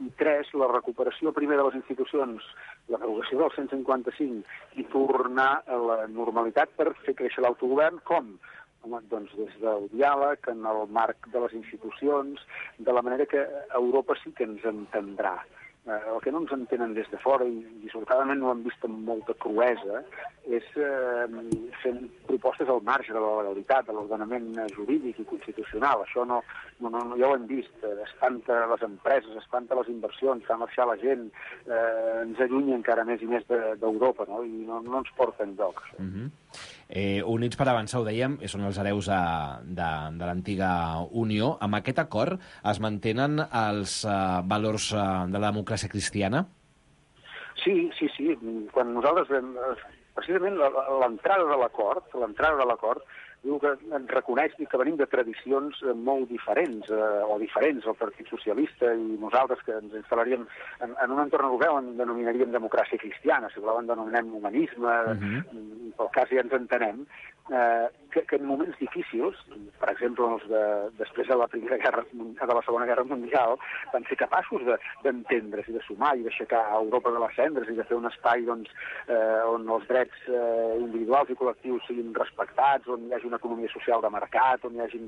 Speaker 6: i tres, la recuperació primer de les institucions, la derogació del cent cinquanta-cinc i tornar a la normalitat per fer créixer l'autogovern, com? Home, doncs des del diàleg, en el marc de les institucions, de la manera que Europa sí que ens entendrà. El que no ens entenen des de fora, i dissortadament no ho hem vist amb molta cruesa, és eh, fent propostes al marge de la legalitat, de l'ordenament jurídic i constitucional. Això no, no, no, ja ho hem vist. Espanta les empreses, espanta les inversions, fa marxar la gent, eh, ens allunya encara més i més d'Europa, no? I no, no ens porta enlloc.
Speaker 10: Mm-hmm. eh, Units per Avançar, ho dèiem, són els hereus de, de, de l'antiga Unió. Amb aquest acord es mantenen els eh, valors eh, de la democràcia cristiana?
Speaker 6: Sí, sí, sí. Quan nosaltres vam... Precisament l'entrada de l'acord, l'entrada de l'acord diu que ens reconeix que venim de tradicions molt diferents, eh, o diferents, el Partit Socialista i nosaltres, que ens instal·laríem en, en un entorn europeu on denominaríem democràcia cristiana, si voleu en denominem humanisme, uh-huh. pel cas ja ens entenem, eh, que, que en moments difícils, per exemple, els de, després de la Primera Guerra, de la Segona Guerra Mundial, van ser capaços d'entendre's de, i de sumar i d'aixecar Europa de les cendres i de fer un espai doncs, eh, on els drets eh, individuals i col·lectius siguin respectats, on hi hagi una economia social de mercat, on hi hagi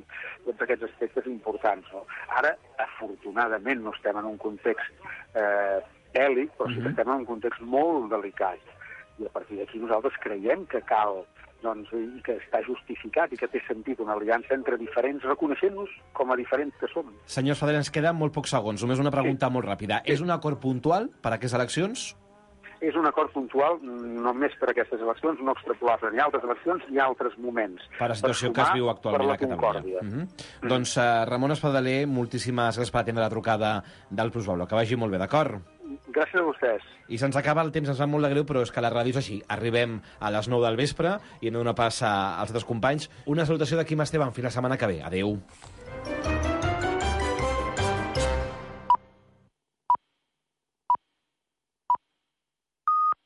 Speaker 6: tots aquests aspectes importants. No? Ara, afortunadament, no estem en un context eh, bèl·lic, però sí que estem en un context molt delicat. I a partir d'aquí nosaltres creiem que cal, doncs, i que està justificat i que té sentit una aliança entre diferents, reconeixent-nos com a diferents que som.
Speaker 10: Senyor Espadaler, ens queden molt pocs segons. Només una pregunta sí. molt ràpida. Sí. És un acord puntual per a aquestes eleccions?
Speaker 6: És un acord puntual només per a aquestes eleccions, no extrapolable ni altres eleccions ni altres moments.
Speaker 10: Per la situació que es viu actualment a Catalunya. Mm -hmm. mm. Doncs, uh, Ramon Espadaler, moltíssimes gràcies per atendre la trucada del Plusvalor. Que vagi molt bé, d'acord?
Speaker 6: Gràcies a vostès.
Speaker 10: I se'ns acaba el temps, ens va molt de greu, però és que la ràdio és així. Arribem a les nou del vespre i no una passa als altres companys. Una salutació de Quim Esteban. Fins la setmana que ve. Adéu.